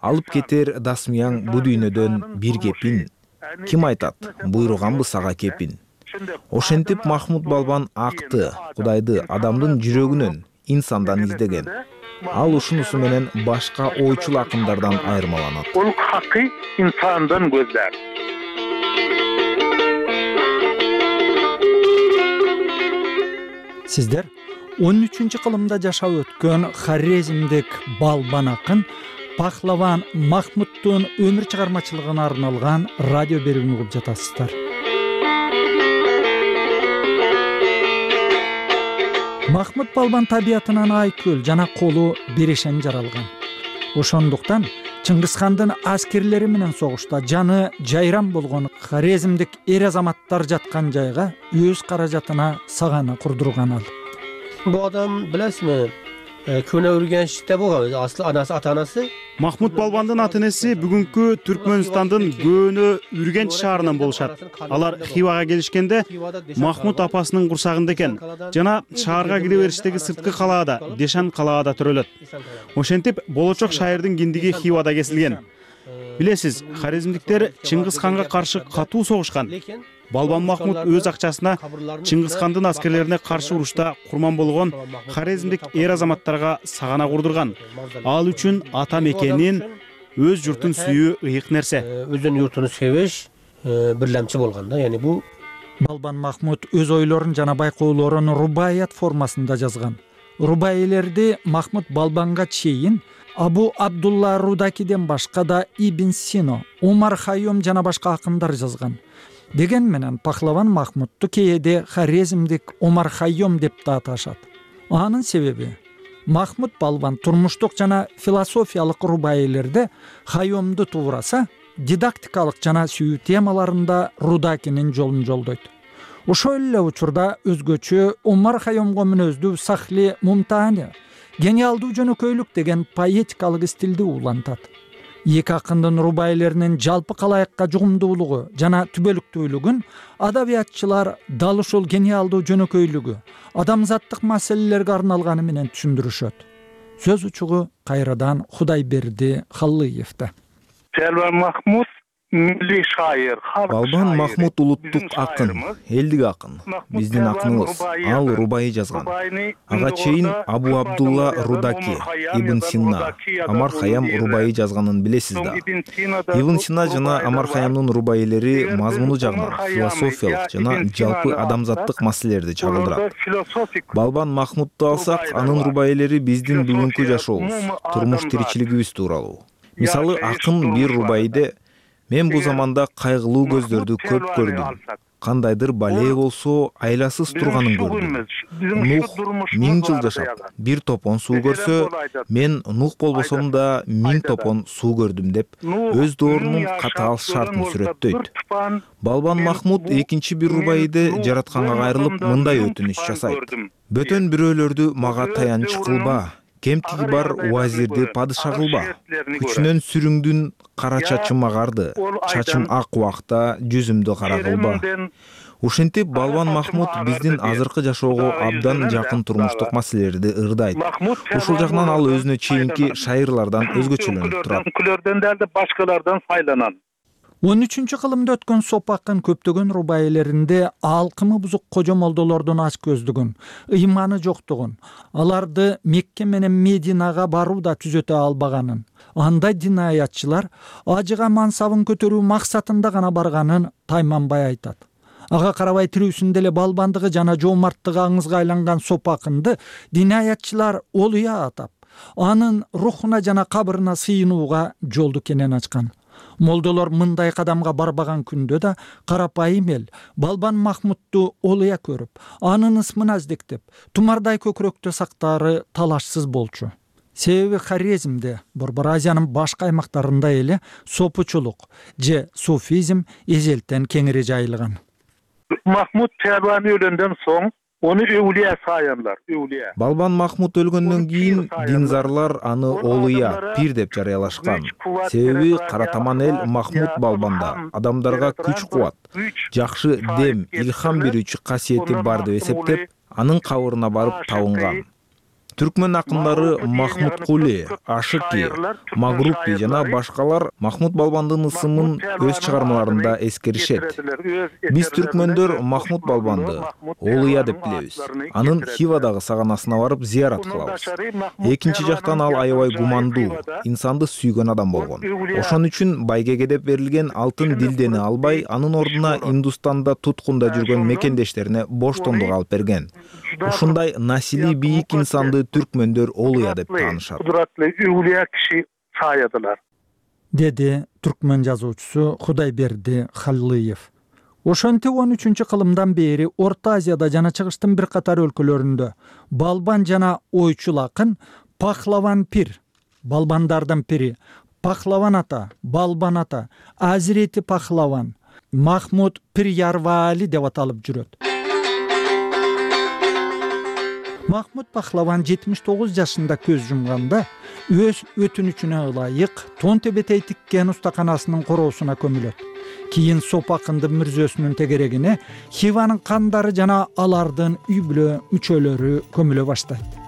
Алып кетер дасмыяң бу дүйнөдөн бир кепин. Ким айтат, буйруганбы сага кепин? Ошентип Махмут Балбан акты, Кудайды адамдын жүрөгүнөн, инсандан издеген. Ал ушунусу менен башка ойчул акындардан айырмаланат. Ол хакый инсандан көздөр. Сиздер 13-кылымда жашап өткөн хорезмдик балбан акын Пахлаван Махмуттун өмүр чыгармачылыгына арналган радио берүүнү угуп жатасыздар. Махмут балбан табиятынан айкөл жана колу берешен жаралган. Ошондуктан Чыңгызхандын аскерлери менен согушта жаны жайран болгон хорезмдик эр азаматтар жаткан жайга өз каражатына сагана курдурган ал. Бу адам билесизби? Көне Үргенчте болгон, асыл анасы, ата-анасы. Махмут балбандын ата-энеси бүгүнкү Түркмөнстандын көөнө Үргенч шаарынан болушат. Алар Хивага келишкенде Махмут апасынын курсагында экен жана шаарга кире бериштеги сырткы калаада, Дешан калаада төрөлөт. Ошентип болочок шайырдын киндиги Хивада кесилген. Билесиз, хорезмдиктер Чыңгызханга каршы катуу согушкан. Балбан Махмут өз акчасына Чыңгызхандын аскерлерине каршы урушта курман болгон хорезмдик эр азаматтарга сагана курдурган. Ал үчүн ата мекенин, өз журтун сүйүү ыйык нерсе. Өзүнүн журтун сүйүш бирлемчи болгон да, яни бу Балбан Махмут өз ойлорун жана байкоолорун рубаият формасында жазган. Рубаилерди Махмут балбанга чейин Абу Абдулла Рудакиден башка да Ибн Сино, Умар Хайом жана башка акындар жазган. Деген менен Пахлаван Махмутту кээде хорезмдик Умар Хайом деп да аташат. Анын себеби Махмут балбан турмуштук жана философиялык рубаилерде Хайомду туураса, дидактикалык жана сүйүү темаларында Рудакинин жолун жолдойт. Ошол эле учурда өзгөчө Умар Хайомго мүнөздүү Сахли Мумтани гениалдуу жөнөкөйлүк деген поэтикалык стилди улантат. Эки акындын рубайлеринин жалпы калайыкка жугумдуулугу жана түбөлүктүүлүгүн адабиятчылар дал ушул гениалдуу жөнөкөйлүгү адамзаттык маселелерге арналганы менен түшүндүрүшөт. Сөз учугу кайрадан Кудайберди Халлыевде. Балбан Махмут милли шайыр, Балбан Махмут улуттук акын, элдик акын. Биздин акыныбыз. Ал рубаи жазган. Ага чейин Абу Абдулла Рудаки, Ибн Сина, Амар Хайям рубаи жазганын билесиз да. Ибн Сина жана Амар Хайямдын рубаилери мазмуну жагынан философиялык жана жалпы адамзаттык маселелерди чагылдырат. Балбан Махмутту алсак, анын рубаилери биздин бүгүнкү жашообуз, турмуш тиричилигибиз тууралуу. Мисалы, акын бир рубаиде мен бул заманда кайгылуу көздөрдү көп көрдүм. Кандайдыр бале болсо айласыз турганын көрдүм. Нух 1000 жыл жашап, бир топон суу көрсө, мен Нух болбосом да 1000 топон суу көрдүм деп өз доорунун катаал шартын сүрөттөйт. Балбан Махмут экинчи бир рубаиде жаратканга кайрылып мындай өтүнүш жасайт. Бөтөн бирөөлөрдү мага таянч кылба. Кемтиги бар уазирди падыша кылба. Күчүнөн сүрүңдүн кара чачым агарды. Чачым ак убакта жүзүмдү кара кылба. Ушинтип Балбан Махмут биздин азыркы жашоого абдан жакын турмуштук маселелерди ырдайт. Ушул жагынан ал өзүнө чейинки шайырлардан өзгөчөлөнүп турат. Күлөрдөн да башкалардан файланат. 13-кылымда өткөн сопакын көптөгөн рубаилеринде алкымы бузук кожо молдолордун ач көздүгүн, ыйманы жоктугун, аларды Мекке менен Мединага барууда түзөтө албаганын, андай динаятчылар ажыга мансабын көтөрүү максатында гана барганын тайманбай айтат. Ага карабай тирүүсүндө эле балбандыгы жана жоомарттыгы аңызга айланган сопакынды динаятчылар олуя атап, анын рухуна жана кабырына сыйынууга жолду кенен ачкан. Молдолор мындай кадамга барбаган күндө да карапайым эл Балбан Махмутту олуя көрүп, анын ысмын аздектеп, тумардай көкүрөктө сактаары талашсыз болчу. Себеби хорезмде, Борбор Азиянын башка аймактарында эле сопучулук же суфизм эзелтен кеңири жайылган. Махмут Балбан өлөндөн соң Onu өвлия саяндар, өвлия. Балбан Махмут өлгөндөн кийин динзарлар аны олуя, пир деп жарыялашкан. Себеби каратаман эл Махмут балбанда адамдарга күч-кубат, жакшы дем, илхам берүүчү касиети бар деп эсептеп, анын кабырына барып табынган. Түркмөн акындары Махмуд Кули, Ашыки, Магрупи жана башкалар Махмуд Балбандын ысымын өз чыгармаларында эскеришет. Биз түркмөндөр Махмуд Балбанды Олуя деп билебиз. Анын Хивадагы саганасына барып зыярат кылабыз. Экинчи жактан ал аябай гумандуу, инсанды сүйгөн адам болгон. Ошон үчүн байгеге деп берилген алтын дилдени албай, анын ордуна Индустанда туткунда жүргөн мекендештерине боштондук алып берген. Ушундай насилий бийик инсанды түркмөндөр Олуя деп таанышат. Деди түркмөн жазуучусу Кудайберди Халлыев. Ошентип 13-кылымдан бери Орто Азияда жана Чыгыштын бир катар өлкөлөрүндө балбан жана ойчул акын Пахлаван пир, балбандардын пири, Пахлаван ата, балбан ата, Азирети Пахлаван, Махмуд Пир Ярвали деп аталып жүрөт. Махмуд Пахлаван 79 жашында көз жумганда өз өтүнүчүнө ылайык тон тебетей тиккен устаканасынын короосуна көмүлөт. Кийин Соп акындын мүрзөсүнүн тегерегине Хиванын кандары жана алардын үй бүлө мүчөлөрү көмүлө баштайт.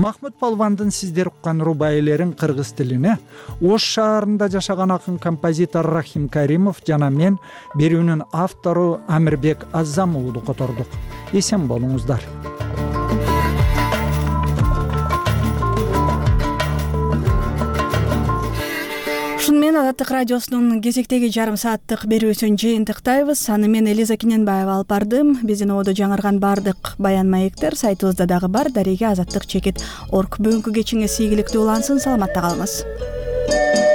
Махмуд Балбандын сиздер уккан рубаилерин кыргыз тилине Ош шаарында жашаган акын композитор Рахим Каримов жана мен берүүнүн автору Амирбек Аззам уулу котордук. Эсен болуңуздар. Ушун Азаттык радиосунун кезектеги жарым сааттык берүүсүн жыйынтыктайбыз. Аны мен Элиза Кененбаева алып бардым. Биздин ободо жаңырган бардык баян маектер сайтыбызда дагы бар. Дареге azatlyk.org. Бүгүнкү кечиңиз ийгиликтүү улансын. Саламатта калыңыз.